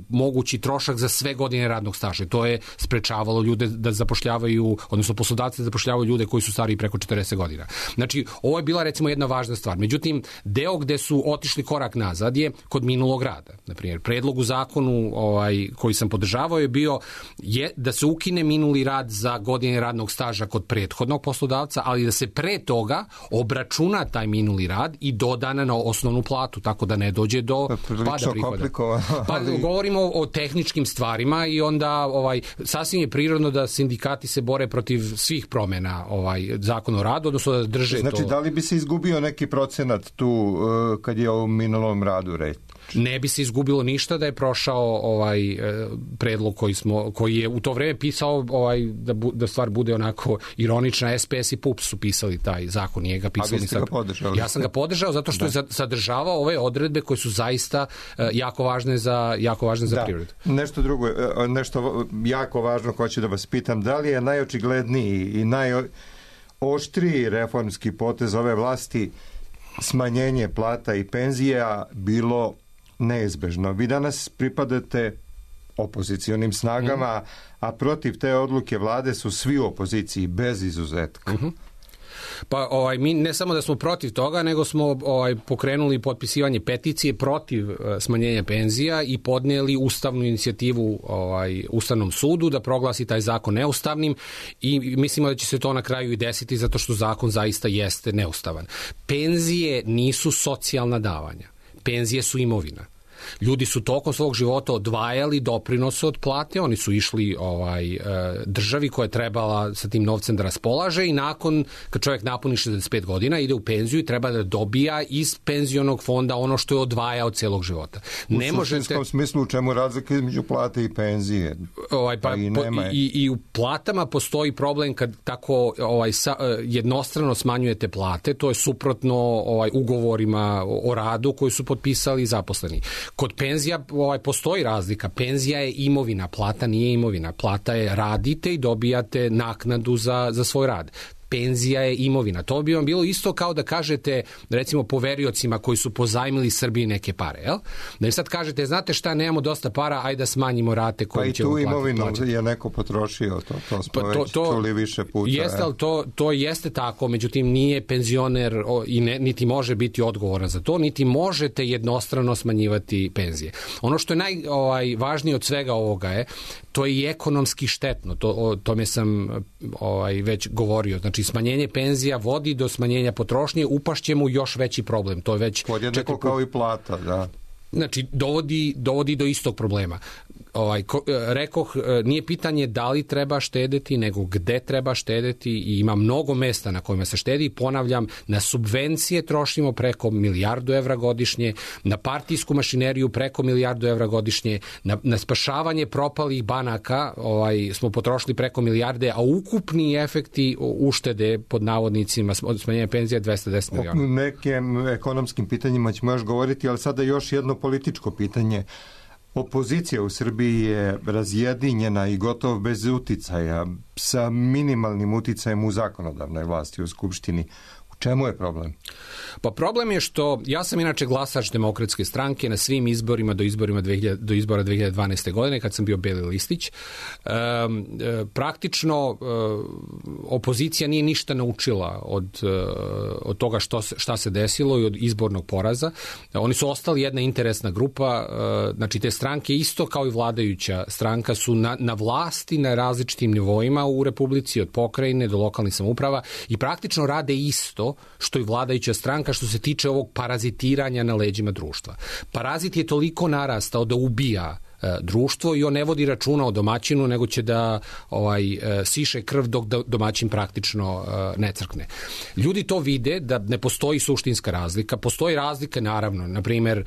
mogući trošak za sve godine radnog staža. To je sprečavalo ljude da zapošljavaju, odnosno poslodavci da zapošljavaju ljude koji su stariji preko 40 godina. Znači, ovo je bila recimo jedna važna stvar. Međutim, deo gde su otišli korak nazad je kod minulog rada. Na primjer, predlog u zakonu koji sam podržavao je bio da se ukine minuli rad za godine radnog staža kod prethodnog poslodavca, ali da se pre toga obračuna taj minuli rad i dodana na osnovnu platu, tako da ne dođe do pada prihoda. Pa govorimo o tehničkim stvarima i onda sasvim je prirodno da sindikati se bore protiv svih promjena zakon o radu, odnosno da drže to. Znači, da li bi se izgubio neki procenat tu kad je o minulom radu reč? Ne bi se izgubilo ništa da je prošao predlog koji je u to vreme pisao da stvar bude onako ironična. SPS i PUPS su pisali taj zakon, nije ga pisali. A vi ste ga podržali? Ja sam ga podržao zato što je sadržavao ove odredbe koje su zaista jako važne za privredu. Nešto drugo, nešto jako važno hoću da vas pitam, da li je najočigledniji i najoštriji reformski potez ove vlasti smanjenje plata i penzija bilo neizbežno? Vi danas pripadate opozicionim snagama, a protiv te odluke vlade su svi u opoziciji, bez izuzetka. Pa mi ne samo da smo protiv toga, nego smo pokrenuli potpisivanje peticije protiv smanjenja penzija i podnijeli ustavnu inicijativu Ustavnom sudu da proglasi taj zakon neustavnim i mislimo da će se to na kraju i desiti zato što zakon zaista jeste neustavan. Penzije nisu socijalna davanja. Penzije su imovina. Ljudi su tokom svog života odvajali doprinose od plate, oni su išli državi koja je trebala sa tim novcem da raspolaže i nakon, kad čovjek napuni 65 godina, ide u penziju i treba da dobija iz penzionog fonda ono što je odvajao celog života. U suštinskom smislu, u čemu razlika između plate i penzije? I u platama postoji problem kad tako jednostrano smanjujete plate, to je suprotno ugovorima o radu koji su potpisali zaposleni. Kod penzija postoji razlika. Penzija je imovina, plata nije imovina. Plata je radite i dobijate naknadu za svoj rad. Penzija je imovina. To bi vam bilo isto kao da kažete, recimo, poveriocima koji su pozajmili Srbiji neke pare, jel? Da im sad kažete, znate šta, nemamo dosta para, ajde da smanjimo rate koje ćemo platiti. Pa i tu imovinu je neko potrošio, to smo već čuli više puta. Jeste, ali to jeste tako, međutim nije penzioner i niti može biti odgovoran za to, niti možete jednostrano smanjivati penzije. Ono što je najvažnije od svega ovoga je, to je i ekonomski štetno, o tome sam već govorio. Znači, smanjenje penzija vodi do smanjenja potrošnje, upašće mu još veći problem. To je već podjednako kao i plata, da. Znači, dovodi do istog problema. Rekoh, nije pitanje da li treba štedeti, nego gde treba štedeti i ima mnogo mesta na kojima se štedi. Ponavljam, na subvencije trošimo preko 1 milijardu evra godišnje, na partijsku mašineriju preko 1 milijardu evra godišnje, na spašavanje propalih banaka smo potrošili preko 1 milijarde, a ukupni efekti uštede pod navodnicima smanjenja penzija 210 miliona. O nekim ekonomskim pitanjima ćemo još govoriti, ali sada još jedno političko pitanje. Opozicija u Srbiji je razjedinjena i gotovo bez uticaja, sa minimalnim uticajem u zakonodavnoj vlasti u Skupštini. U čemu je problem? Pa problem je što ja sam inače glasač Demokratske stranke na svim izborima do izbora 2012. godine kad sam bio beli listić. Praktično opozicija nije ništa naučila od toga šta se desilo i od izbornog poraza. Oni su ostali jedna interesna grupa, znači te stranke isto kao i vladajuća stranka su na vlasti na različitim nivoima u Republici, od pokrajine do lokalnih samouprava i praktično rade isto što i vladajuća stranka što se tiče ovog parazitiranja na leđima društva. Parazit je toliko narastao da ubija društvo i on ne vodi računa o domaćinu, nego će da siše krv dok domaćin praktično ne crkne. Ljudi to vide da ne postoji suštinska razlika. Postoji razlika, naravno, na primjer,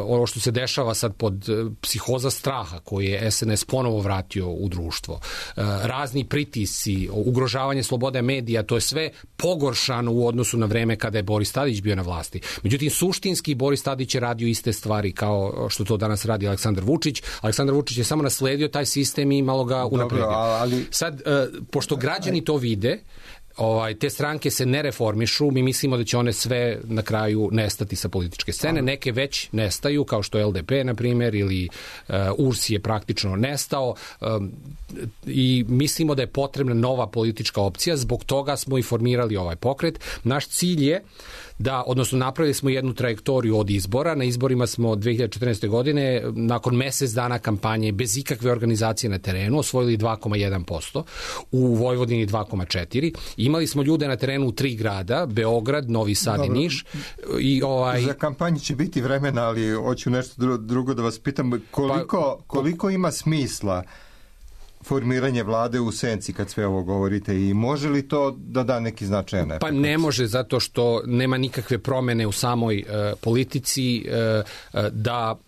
ono što se dešava sad pod psihoza straha koji je SNS ponovo vratio u društvo. Razni pritisci, ugrožavanje slobode medija, to je sve pogoršano u odnosu na vreme kada je Boris Tadić bio na vlasti. Međutim, suštinski Boris Tadić je radio iste stvari kao što to danas radi Aleksandar Vučić. Aleksandar Vučić je samo nasledio taj sistem i malo ga unapredio. Sad, pošto građani to vide, te stranke se ne reformišu, mi mislimo da će one sve na kraju nestati sa političke scene. Neke već nestaju, kao što je LDP, na primjer, ili URS je praktično nestao i mislimo da je potrebna nova politička opcija, zbog toga smo i formirali ovaj pokret. Naš cilj je odnosno napravili smo jednu trajektoriju od izbora. Na izborima smo 2014. godine, nakon mjesec dana kampanje, bez ikakve organizacije na terenu, osvojili 2,1%, u Vojvodini 2,4%. Imali smo ljude na terenu u 3 grada, Beograd, Novi Sad i Niš. Za kampanju će biti vremena, ali hoću nešto drugo da vas pitam. Koliko ima smisla formiranje vlade u senci kad sve ovo govorite i može li to da neki značajan efekt? Pa ne može, zato što nema nikakve promjene u samoj politici, da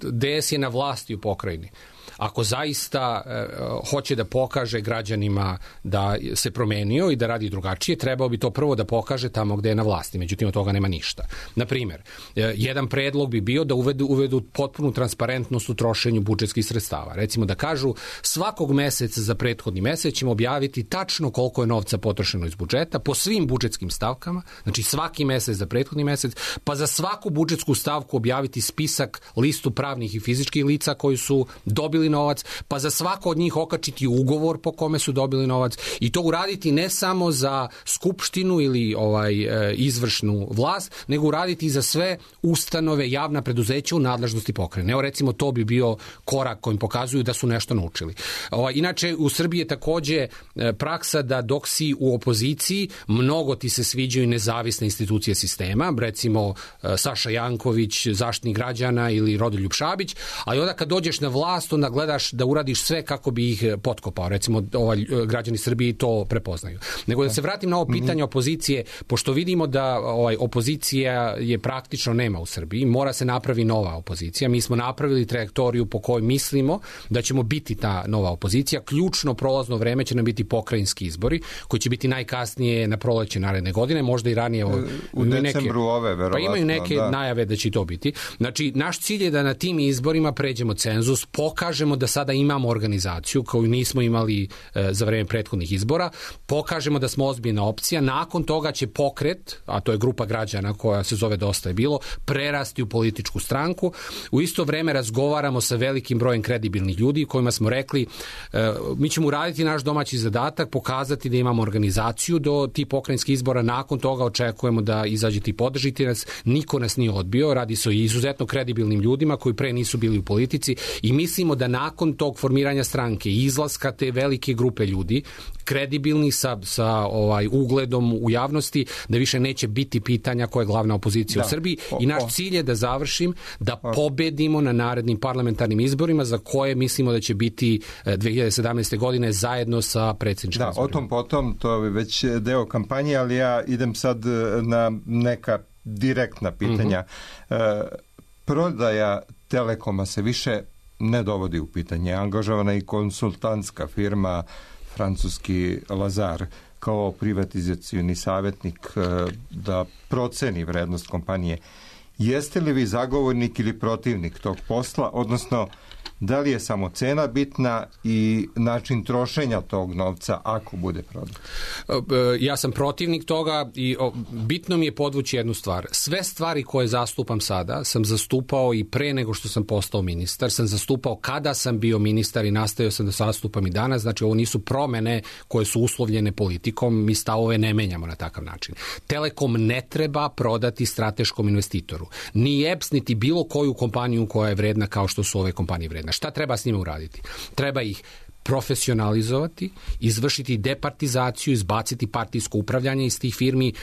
DS je na vlasti u pokrajini. Ako zaista hoće da pokaže građanima da se promenio i da radi drugačije, trebao bi to prvo da pokaže tamo gde je na vlasti. Međutim, od toga nema ništa. Na primjer, jedan predlog bi bio da uvedu potpunu transparentnost u trošenju budžetskih sredstava. Recimo da kažu svakog meseca za prethodni mesec ćemo objaviti tačno koliko je novca potrošeno iz budžeta po svim budžetskim stavkama, znači svaki mesec za prethodni mesec, pa za svaku budžetsku stavku objaviti spisak, listu pravnih i fizičkih lica koji su dobili dobili novac, pa za svako od njih okačiti ugovor po kome su dobili novac i to uraditi ne samo za skupštinu ili izvršnu vlast, nego uraditi i za sve ustanove, javna preduzeća u nadležnosti pokrajine. Evo recimo to bi bio korak kojim pokazuju da su nešto naučili. Inače u Srbiji je takođe praksa da dok si u opoziciji mnogo ti se sviđaju nezavisne institucije sistema, recimo Saša Janković, Zaštitnik građana ili Rodoljub Šabić, ali onda kad dođeš na vlast onda gledaš da uradiš sve kako bi ih potkopao. Recimo građani Srbije to prepoznaju. Nego da se vratim na ovo pitanje opozicije, pošto vidimo da opozicija je praktično nema u Srbiji, mora se napravi nova opozicija. Mi smo napravili trajektoriju po kojoj mislimo da ćemo biti ta nova opozicija. Ključno prolazno vreme će nam biti pokrajinski izbori, koji će biti najkasnije na proleće naredne godine, možda i ranije. U decembru ove, verovatno. Pa imaju neke najave da će to biti. Znači, naš cilj je da na tim izborima pređemo cenzus, pokažemo da sada imamo organizaciju koju nismo imali za vreme prethodnih izbora, pokažemo da smo ozbiljna opcija, nakon toga će pokret, a to je grupa građana koja se zove Dosta je bilo, prerasti u političku stranku. U isto vreme razgovaramo sa velikim brojem kredibilnih ljudi kojima smo rekli mi ćemo uraditi naš domaći zadatak, pokazati da imamo organizaciju do tih pokrajinskih izbora, nakon toga očekujemo da izađete i podržite nas, niko nas nije odbio, radi se o izuzetno kredibilnim ljudima koji pre nisu bili u politici i mislimo da nakon tog formiranja stranke i izlaska te velike grupe ljudi, kredibilni sa ugledom u javnosti, da više neće biti pitanja koja je glavna opozicija u Srbiji i naš cilj je da završim, da pobedimo na narednim parlamentarnim izborima za koje mislimo da će biti 2017. godine zajedno sa predsjedničkim izborima. O tom potom, to je već deo kampanje, ali ja idem sad na neka direktna pitanja. Prodaja Telekoma se više ne dovodi u pitanje. Angažovana i konsultantska firma francuski Lazar kao privatizacioni savjetnik da proceni vrednost kompanije. Jeste li vi zagovornik ili protivnik tog posla, odnosno da li je samo cena bitna i način trošenja tog novca ako bude prodat? Ja sam protivnik toga i bitno mi je podvući jednu stvar. Sve stvari koje zastupam sada sam zastupao i pre nego što sam postao ministar, sam zastupao kada sam bio ministar i nastavio sam da zastupam i danas. Znači ovo nisu promene koje su uslovljene politikom, mi stavove ne menjamo na takav način. Telekom ne treba prodati strateškom investitoru. Ni EPS, niti bilo koju kompaniju koja je vredna kao što su ove kompanije vredne. Šta treba s njima uraditi? Treba ih profesionalizovati, izvršiti departizaciju, izbaciti partijsko upravljanje iz tih firmi,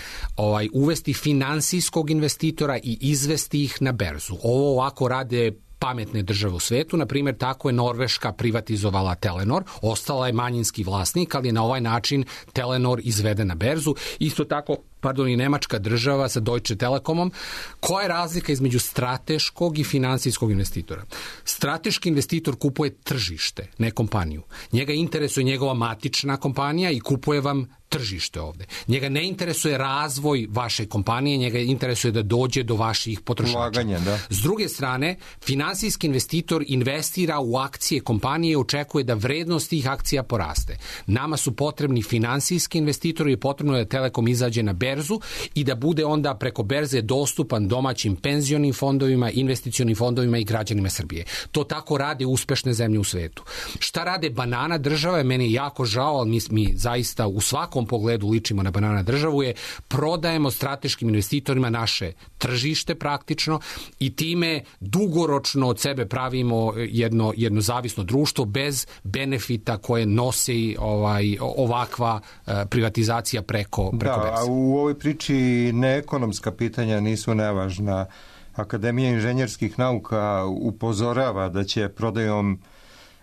uvesti finansijskog investitora i izvesti ih na berzu. Ovo ovako rade pametne države u svetu. Na primjer, tako je Norveška privatizovala Telenor, ostala je manjinski vlasnik, ali je na ovaj način Telenor izveden na berzu. Isto tako, i nemačka država sa Deutsche Telekomom. Koja je razlika između strateškog i finansijskog investitora? Strateški investitor kupuje tržište, ne kompaniju. Njega interesuje njegova matična kompanija i kupuje vam tržište ovde. Njega ne interesuje razvoj vaše kompanije, njega interesuje da dođe do vaših potrošača. Ulaganje, da. S druge strane, finansijski investitor investira u akcije kompanije i očekuje da vrednost tih akcija poraste. Nama su potrebni finansijski investitori i potrebno je da Telekom izađe na berzu i da bude onda preko berze dostupan domaćim penzionim fondovima, investicionim fondovima i građanima Srbije. To tako rade uspešne zemlje u svetu. Šta rade banana država? Meni je jako žao, ali mi zaista u svakom pogledu ličimo na banana državu, je prodajemo strateškim investitorima naše tržište praktično i time dugoročno od sebe pravimo jedno zavisno društvo bez benefita koje nosi ovakva privatizacija preko berze. A u ovoj priči neekonomska pitanja nisu nevažna. Akademija inženjerskih nauka upozorava da će prodajom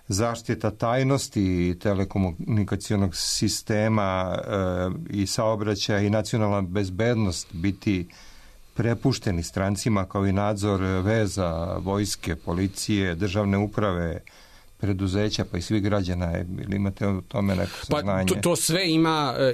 zaštita tajnosti telekomunikacionog sistema i saobraćaja i nacionalna bezbednost biti prepušteni strancima kao i nadzor veza, vojske, policije, državne uprave, preduzeća, pa i svih građana. Ili imate o tome neko saznanje? Pa to sve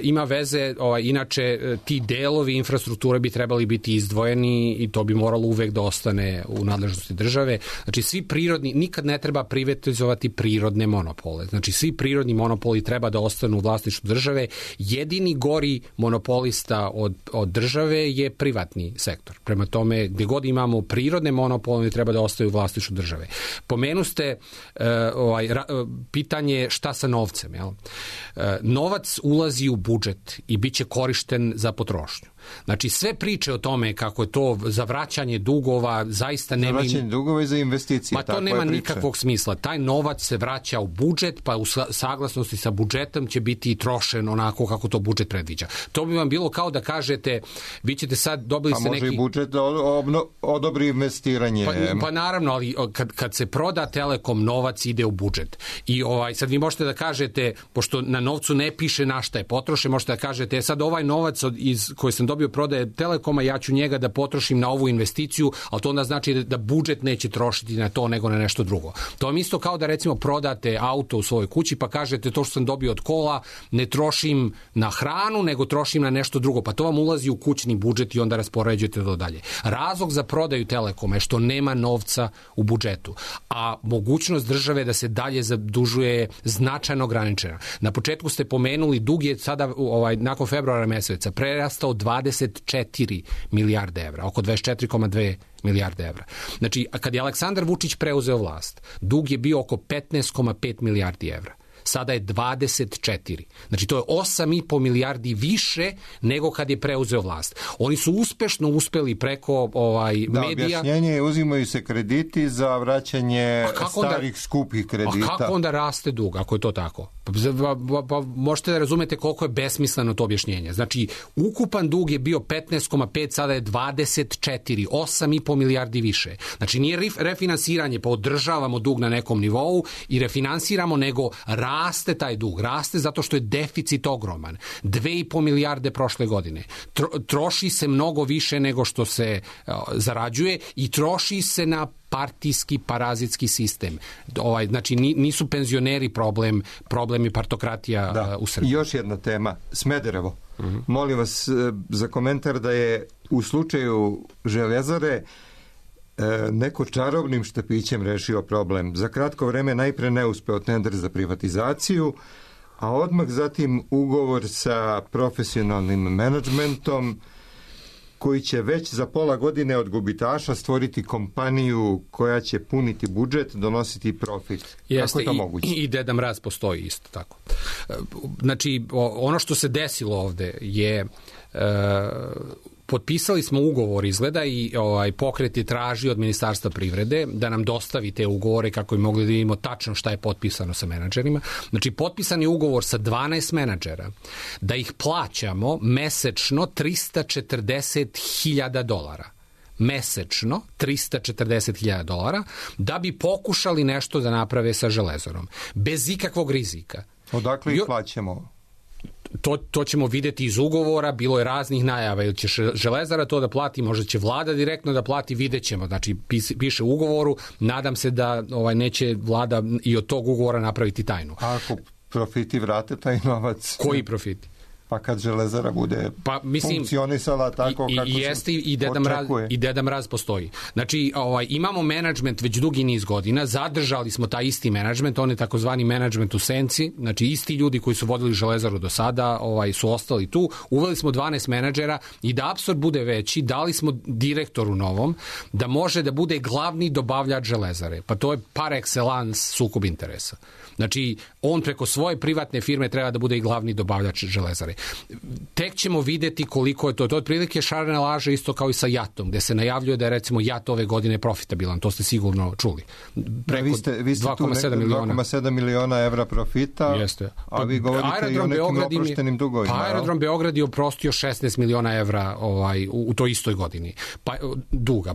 ima veze, inače ti delovi infrastrukture bi trebali biti izdvojeni i to bi moralo uvek da ostane u nadležnosti države. Znači svi prirodni, nikad ne treba privatizovati prirodne monopole. Znači svi prirodni monopoli treba da ostanu u vlasništvu države. Jedini gori monopolista od države je privatni sektor. Prema tome, gde god imamo prirodne monopole, treba da ostaju u vlasništvu države. Pomenuste pitanje šta sa novcem. Jel? Novac ulazi u budžet i bit će korišten za potrošnju. Znači, sve priče o tome kako je to za vraćanje dugova zaista nema... Za vraćanje dugova i za investicije. Ma to nema nikakvog smisla. Taj novac se vraća u budžet, pa u saglasnosti sa budžetom će biti trošen onako kako to budžet predviđa. To bi vam bilo kao da kažete, vi ćete sad dobili se neki... Pa može i budžet da odobri investiranje. Pa naravno, ali kad se proda Telekom, novac ide u budžet. I sad vi možete da kažete, pošto na novcu ne piše na šta je potrošen, možete da kažete, sad ovaj novac koji sam dobio prodaje Telekoma, ja ću njega da potrošim na ovu investiciju, ali to onda znači da budžet neće trošiti na to nego na nešto drugo. To vam isto kao da recimo prodate auto u svojoj kući pa kažete to što sam dobio od kola ne trošim na hranu nego trošim na nešto drugo. Pa to vam ulazi u kućni budžet i onda raspoređujete to dalje. Razlog za prodaju Telekoma je što nema novca u budžetu, a mogućnost države da se dalje zadužuje je značajno ograničena. Na početku ste pomenuli, dug je sada nakon februara meseca prerastao 24 milijarde evra, oko 24,2 milijarde evra. Znači, kad je Aleksandar Vučić preuzeo vlast, dug je bio oko 15,5 milijardi evra. Sada je 24. Znači, to je 8,5 milijardi više nego kad je preuzeo vlast. Oni su uspešno uspeli preko medija... Da, objašnjenje je uzimaju se krediti za vraćanje starih skupih kredita. A kako onda raste dug, ako je to tako? Možete da razumete koliko je besmisleno to objašnjenje. Znači, ukupan dug je bio 15,5, sada je 24, 8,5 milijardi više. Znači, nije refinansiranje, pa održavamo dug na nekom nivou i refinansiramo, nego raste taj dug. Raste zato što je deficit ogroman. 2,5 milijarde prošle godine. Troši se mnogo više nego što se zarađuje i troši se na partijski, parazitski sistem. Znači, nisu penzioneri problem je partokratija u Srbiji. I još jedna tema, Smederevo. Molim vas za komentar da je u slučaju Železare neko čarobnim štapićem rešio problem. Za kratko vreme najpre neuspeo tender za privatizaciju, a odmah zatim ugovor sa profesionalnim menadžmentom koji će već za pola godine od gubitaša stvoriti kompaniju koja će puniti budžet, donositi profit. Kako je to moguće? I Deda Mraz postoji isto tako. Znači, ono što se desilo ovde je... Potpisali smo ugovor izgleda i pokret je tražio od Ministarstva privrede da nam dostavi te ugovore kako bi mogli da vidimo tačno šta je potpisano sa menadžerima. Znači, potpisan je ugovor sa 12 menadžera da ih plaćamo mesečno $340.000. Mesečno $340.000 da bi pokušali nešto da naprave sa Železarom. Bez ikakvog rizika. Odakle ih plaćamo? To ćemo videti iz ugovora, bilo je raznih najava, ili će Železara to da plati, možda će vlada direktno da plati, vidjet ćemo. Znači, piše u ugovoru, nadam se da neće vlada i od tog ugovora napraviti tajnu. A ako profiti vrate taj novac? Koji profiti? Pa kad Železara bude funkcionisala tako kako se očekuje. I Deda Mraz postoji. Znači, imamo menadžment već dugi niz godina, zadržali smo taj isti menadžment, on je takozvani menadžment u senci, znači isti ljudi koji su vodili Železaru do sada su ostali tu, uveli smo 12 menadžera i da apsurd bude veći, dali smo direktoru novom da može da bude glavni dobavljač Železare. Pa to je par excellence sukob interesa. Znači, on preko svoje privatne firme treba da bude i glavni dobavljač Železare. Tek ćemo videti koliko je to. To je otprilike šarena laža isto kao i sa JAT-om, gde se najavljuje da je recimo JAT ove godine profitabilan. To ste sigurno čuli. Preko 2,7 miliona evra profita, a vi govorite i o nekim oproštenim dugovima. Pa Aerodrom Beograd je oprostio 16 miliona evra u toj istoj godini. Duga.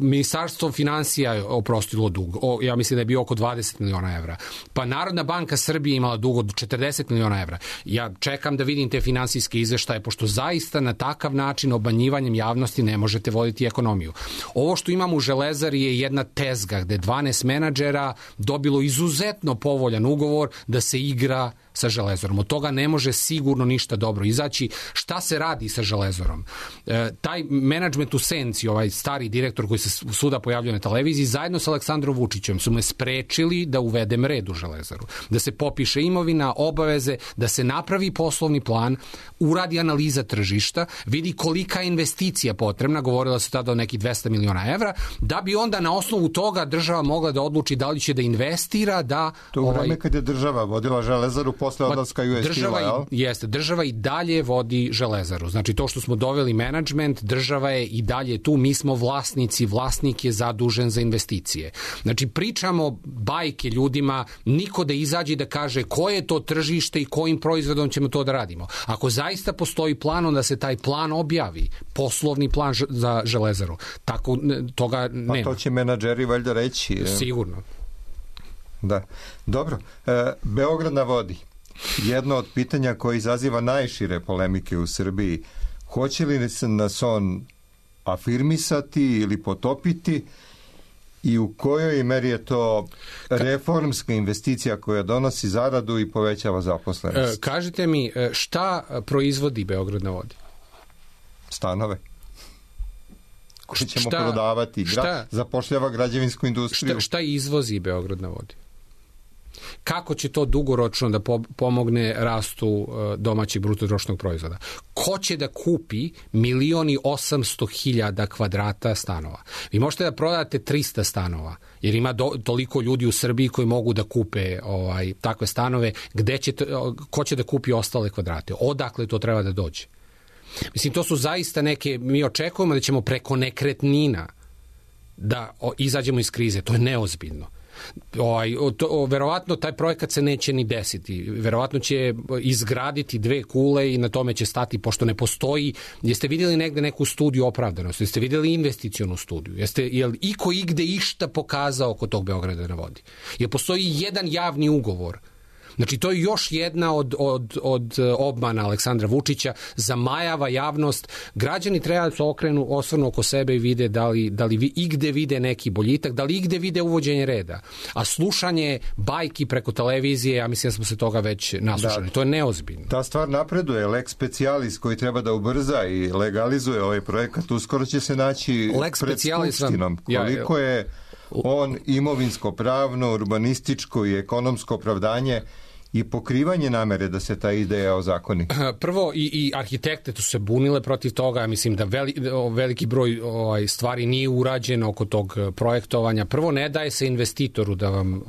Ministarstvo finansija je oprostilo dug. Ja mislim da je bio oko 20 miliona evra. Pa Narodna banka Srbije imala dug od 40 miliona evra. Ja čekam da vidim te finansijske izveštaje, pošto zaista na takav način obmanjivanjem javnosti ne možete voditi ekonomiju. Ovo što imamo u Železari je jedna tezga gde 12 menadžera dobilo izuzetno povoljan ugovor da se igra sa Železarom. Od toga ne može sigurno ništa dobro izaći. Šta se radi sa Železarom? Taj menadžment u senci, ovaj stari direktor koji se svuda pojavljuje na televiziji, zajedno sa Aleksandrom Vučićem su me sprečili da uvedem red u Železaru. Da se popiše imovina, obaveze, da se napravi poslovni plan, uradi analiza tržišta, vidi kolika je investicija potrebna, govorilo se tada o nekih 200 miliona evra, da bi onda na osnovu toga država mogla da odluči da li će da investira, da... To u vreme kad je država vodila Železaru posle odlaska US Steel-a, jeste, država i dalje vodi Železaru. Znači to što smo doveli menadžment, država je i dalje tu, mi smo vlasnici, vlasnik je zadužen za investicije. Znači pričamo bajke ljudima, niko da izađe da kaže koje je to tržište i kojim proizvodom ćemo to da radimo. Ako zaista postoji plan, onda se taj plan objavi, poslovni plan za Železaru. Tako toga nema. Pa to će menadžeri valjda reći. Sigurno. Da. Dobro. Beograd na vodi. Jedno od pitanja koje izaziva najšire polemike u Srbiji. Hoće li nas on afirmisati ili potopiti i u kojoj meri je to reformska investicija koja donosi zaradu i povećava zaposlenost? Kažite mi, šta proizvodi Beograd na vodi? Stanove. Koji ćemo prodavati. Zapošljava građevinsku industriju. Šta izvozi Beograd na vodi? Kako će to dugoročno da pomogne rastu domaćeg bruto društvenog proizvoda? Ko će da kupi 1.800.000 kvadrata stanova? Vi možete da prodate 300 stanova, jer ima toliko ljudi u Srbiji koji mogu da kupe takve stanove. Ko će da kupi ostale kvadrate? Odakle to treba da dođe? Mislim, to su zaista neke, mi očekujemo da ćemo preko nekretnina da izađemo iz krize. To je neozbiljno. Verovatno taj projekat se neće ni desiti. Verovatno će izgraditi 2 kule i na tome će stati, pošto ne postoji. Jeste vidjeli negde neku studiju opravdanosti? Jeste vidjeli investicionu studiju? Je li iko igde išta pokazao oko tog Beograda na vodi? Jer postoji jedan javni ugovor. Znači, to je još jedna od obmana Aleksandra Vučića, zamajava javnost. Građani treba da se osvrnu oko sebe i vide da li igde vide neki boljitak, da li igde vide uvođenje reda. A slušanje bajki preko televizije, ja mislim da smo se toga već naslušali. To je neozbiljno. Ta stvar napreduje. Lex specialis koji treba da ubrza i legalizuje ovaj projekat, uskoro će se naći pred Skupštinom. Koliko je on imovinsko-pravno, urbanističko i ekonomsko opravdanje i pokrivanje namere da se ta ideja ozakoni? Prvo, i arhitekte tu se bunile protiv toga. Mislim da veliki broj stvari nije urađeno oko tog projektovanja. Prvo, ne daje se investitoru da vam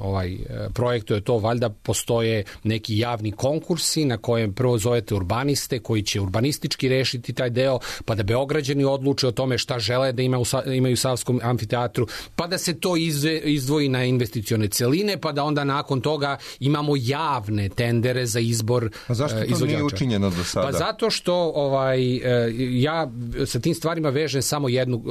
projektuje to. Valjda postoje neki javni konkursi na kojem prvo zovete urbaniste koji će urbanistički rešiti taj deo, pa da Beograđani odluče o tome šta žele da imaju u Savskom amfiteatru, pa da se to izdvoji na investicione celine, pa da onda nakon toga imamo javne tendere za izbor izvođača. A zašto to nije učinjeno do sada? Pa zato što ja sa tim stvarima vežem samo jednu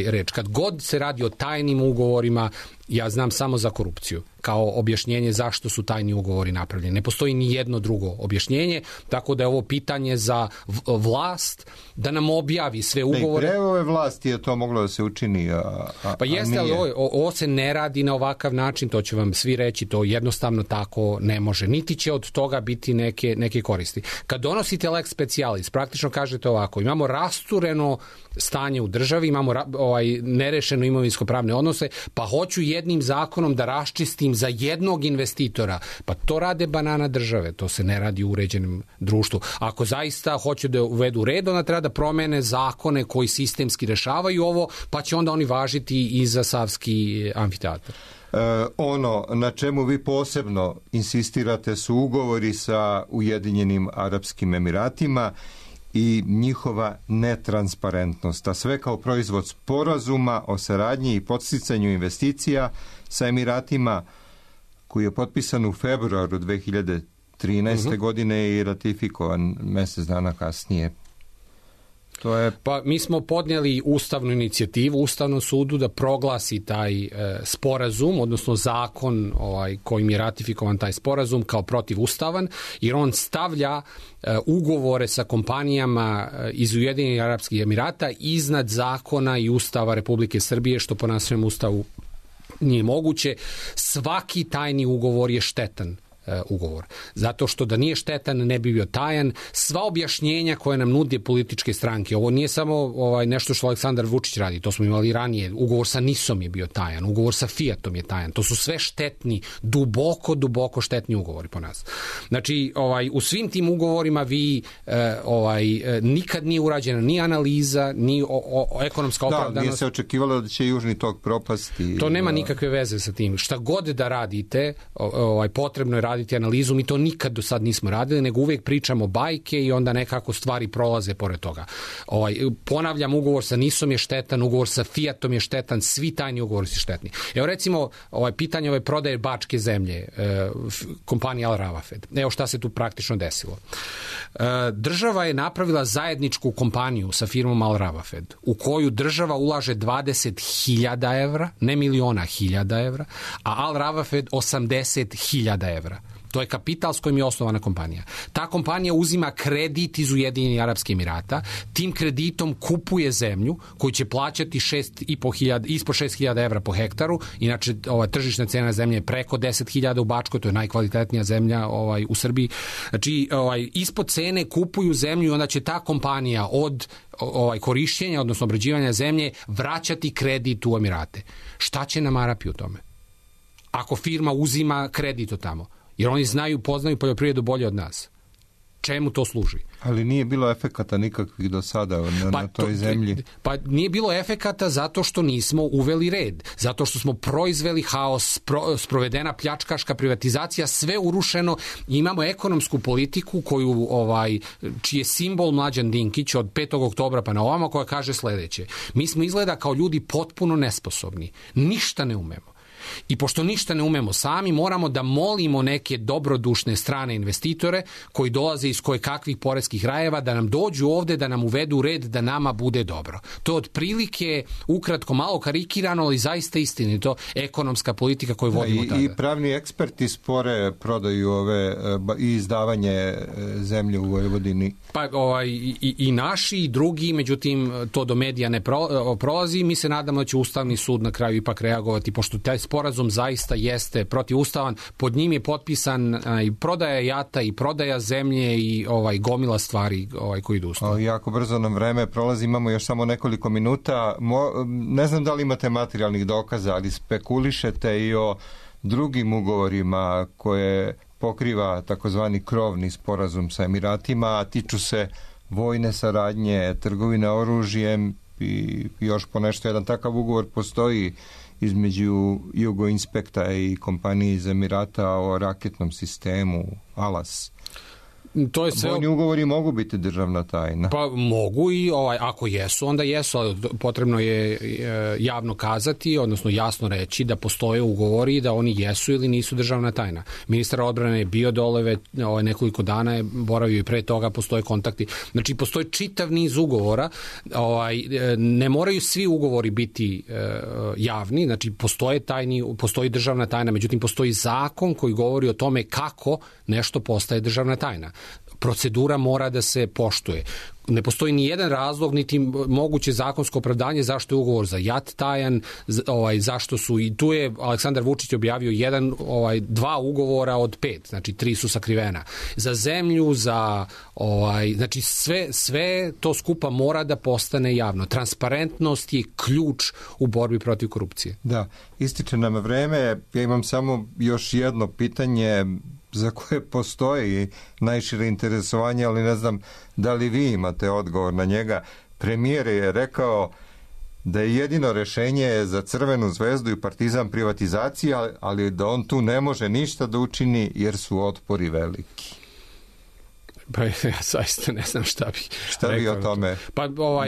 reč. Kad god se radi o tajnim ugovorima, ja znam samo za korupciju kao objašnjenje zašto su tajni ugovori napravljeni. Ne postoji ni jedno drugo objašnjenje, tako da je ovo pitanje za vlast da nam objavi sve ugovore. I pre ove vlasti je to moglo da se učini, pa jeste, ali ovo se ne radi na ovakav način, to će vam svi reći, to jednostavno tako ne može. Niti će od toga biti neke koristi. Kad donosite lex specialis, praktično kažete ovako, imamo rastureno stanje u državi, imamo nerešeno imovinsko-pravne odnose, pa hoću jednim zakonom da raščistim za jednog investitora. Pa to rade banana države, to se ne radi u uređenom društvu. Ako zaista hoće da uvedu red, onda treba da promene zakone koji sistemski rešavaju ovo, pa će onda oni važiti i za Savski amfiteatar. Ono na čemu vi posebno insistirate su ugovori sa Ujedinjenim Arapskim Emiratima i njihova netransparentnost, a sve kao proizvod sporazuma o saradnji i podsticanju investicija sa Emiratima, koji je potpisan u februaru 2013. godine i ratifikovan mjesec dana kasnije. Pa mi smo podnijeli ustavnu inicijativu Ustavnom sudu da proglasi taj sporazum, odnosno zakon kojim je ratifikovan taj sporazum kao protivustavan, jer on stavlja ugovore sa kompanijama iz Ujedinjenih Arapskih Emirata iznad zakona i Ustava Republike Srbije, što po našem Ustavu nije moguće. Svaki tajni ugovor je štetan ugovor. Zato što da nije štetan, ne bi bio tajan. Sva objašnjenja koje nam nude političke stranke, ovo nije samo nešto što Aleksandar Vučić radi, to smo imali ranije, ugovor sa NIS-om je bio tajan, ugovor sa Fiatom je tajan, to su sve štetni, duboko štetni ugovori po nas. Znači, u svim tim ugovorima vi nikad nije urađena ni analiza, ni ekonomska opravdanost. Da, nije se očekivalo da će Južni tok propasti. To nema nikakve veze sa tim. Šta god da radite, potrebno je raditi analizu, mi to nikad do sad nismo radili, nego uvijek pričamo bajke i onda nekako stvari prolaze pored toga. Ponavljam, ugovor sa NIS-om je štetan, ugovor sa Fiatom je štetan, svi tajni ugovori su štetni. Evo recimo, pitanje ove prodaje bačke zemlje, kompanija Al Rawafed. Evo šta se tu praktično desilo. Država je napravila zajedničku kompaniju sa firmom Al Rawafed, u koju država ulaže 20.000 evra, ne miliona, 1.000 evra, a Al Rawafed 80.000 evra. To je kapital s kojim je osnovana kompanija. Ta kompanija uzima kredit iz Ujedinjenih Arapskih Emirata, tim kreditom kupuje zemlju koju će plaćati ispod 6.000 evra po hektaru, inače tržišna cena zemlje je preko 10.000 u Bačkoj, to je najkvalitetnija zemlja u Srbiji. Znači, ispod cene kupuju zemlju i onda će ta kompanija od korišćenja, odnosno obrađivanja zemlje, vraćati kredit u Emirate. Šta će nam Arapi u tome? Ako firma uzima kredit od tamo, jer oni poznaju poljoprivredu bolje od nas. Čemu to služi? Ali nije bilo efekata nikakvih do sada na toj zemlji. Pa nije bilo efekata zato što nismo uveli red. Zato što smo proizveli haos, sprovedena pljačkaška privatizacija, sve urušeno. Imamo ekonomsku politiku čiji je simbol Mlađan Dinkić od 5. oktobra pa na ovamo, koja kaže sledeće. Mi smo izgleda kao ljudi potpuno nesposobni. Ništa ne umemo. I pošto ništa ne umemo sami, moramo da molimo neke dobrodušne strane investitore koji dolaze iz kojekakvih poreskih rajeva da nam dođu ovde, da nam uvedu red, da nama bude dobro. To je otprilike, ukratko, malo karikirano, ali zaista istinito, ekonomska politika koju vodimo tada. I pravni eksperti spore prodaju i izdavanje zemlje u Vojvodini. Pa i naši i drugi, međutim to do medija ne prolazi. Mi se nadamo da će Ustavni sud na kraju ipak reagovati, pošto taj sporazum zaista jeste protivustavan. Pod njim je potpisan i prodaja jata i prodaja zemlje i gomila stvari koji idu ustavno. Jako brzo nam vreme prolazi, imamo još samo nekoliko minuta. Ne znam da li imate materijalnih dokaza, ali spekulišete i o drugim ugovorima koje pokriva takozvani krovni sporazum sa Emiratima, a tiču se vojne saradnje, trgovine oružjem i još ponešto. Jedan takav ugovor postoji između Jugoinspekta i kompanije iz Emirata o raketnom sistemu Alas. Vojni ugovori mogu biti državna tajna. Pa mogu i ako jesu, onda jesu, ali potrebno je javno kazati, odnosno jasno reći da postoje ugovori, da oni jesu ili nisu državna tajna. Ministar odbrane je bio dole nekoliko dana, je boravio i pre toga, postoje kontakti. Znači, postoji čitav niz ugovora, ne moraju svi ugovori biti javni, znači postoji državna tajna, međutim postoji zakon koji govori o tome kako nešto postaje državna tajna. Procedura mora da se poštuje. Ne postoji ni jedan razlog, niti moguće zakonsko opravdanje zašto je ugovor za JAT tajan, zašto su, i tu je Aleksandar Vučić objavio 2 ugovora od 5, znači 3 su sakrivena. Za zemlju, znači sve to skupa mora da postane javno. Transparentnost je ključ u borbi protiv korupcije. Da, ističe nam vreme. Ja imam samo još jedno pitanje za koje postoji najšire interesovanje, ali ne znam da li vi imate odgovor na njega. Premijer je rekao da je jedino rešenje za Crvenu zvezdu i Partizan privatizacija, ali da on tu ne može ništa da učini jer su otpori veliki. Pa ja zaista ne znam šta vi o tome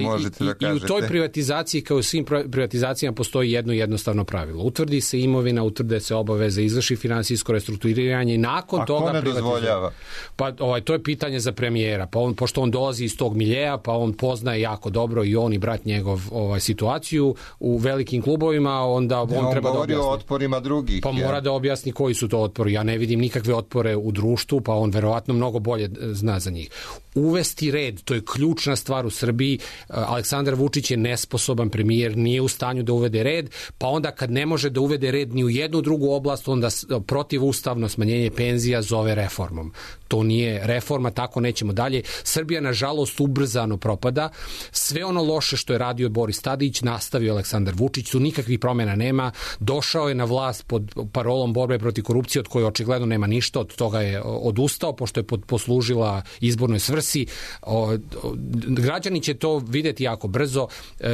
možete da kažete. I u toj privatizaciji, kao u svim privatizacijama, postoji jedno jednostavno pravilo. Utvrdi se imovina, utvrde se obaveze, izvrši finansijsko restrukturiranje i nakon toga... A ko ne dozvoljava? Pa to je pitanje za premijera. Pa pošto on dolazi iz tog miljeja, pa on poznaje jako dobro i on i brat njegov situaciju u velikim klubovima, onda on treba da govori o otporima drugih. Pa mora da objasni koji su to otpori. Ja ne vidim nikakve otpore u društvu, pa on verovatno mnogo bolje zna zna za njih. Uvesti red, to je ključna stvar u Srbiji. Aleksandar Vučić je nesposoban premijer, nije u stanju da uvede red, pa onda kad ne može da uvede red ni u jednu drugu oblast, onda protivustavno smanjenje penzija zove reformom. To nije reforma, tako nećemo dalje. Srbija, nažalost, ubrzano propada. Sve ono loše što je radio Boris Tadić, nastavio Aleksandar Vučić, tu nikakvih promjena nema. Došao je na vlast pod parolom borbe protiv korupcije, od koje očigledno nema ništa, od toga je odustao, pošto je poslužila izbornoj svrsi. Građani će to videti jako brzo.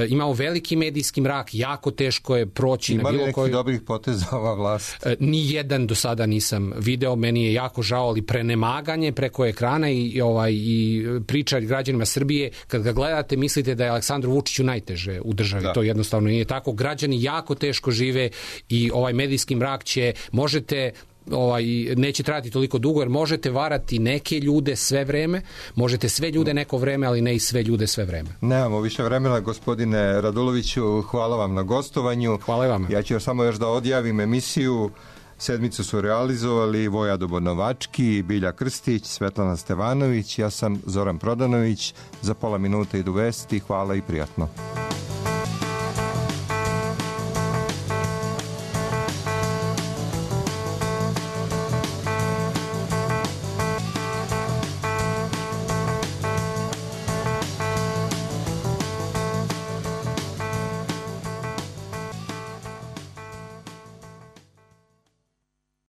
Imamo veliki medijski mrak, jako teško je proći na bilo koji... Ima li nekih dobrih poteza ova vlast? Ni jedan do sada nisam video, meni je jako žao, ali prenemaganje preko ekrana i priča građanima Srbije, kad ga gledate mislite da je Aleksandru Vučiću najteže u državi, to jednostavno nije tako. Građani jako teško žive i ovaj medijski mrak neće trajati toliko dugo, jer možete varati neke ljude sve vreme, možete sve ljude neko vreme, ali ne i sve ljude sve vreme. Nemamo više vremena, gospodine Raduloviću, hvala vam na gostovanju. Hvala vam. Ja ću samo još da odjavim emisiju. Sedmicu su realizovali Voja Novački, Bilja Krstić, Svetlana Stevanović, ja sam Zoran Prodanović. Za pola minuta idu vesti, hvala i prijatno.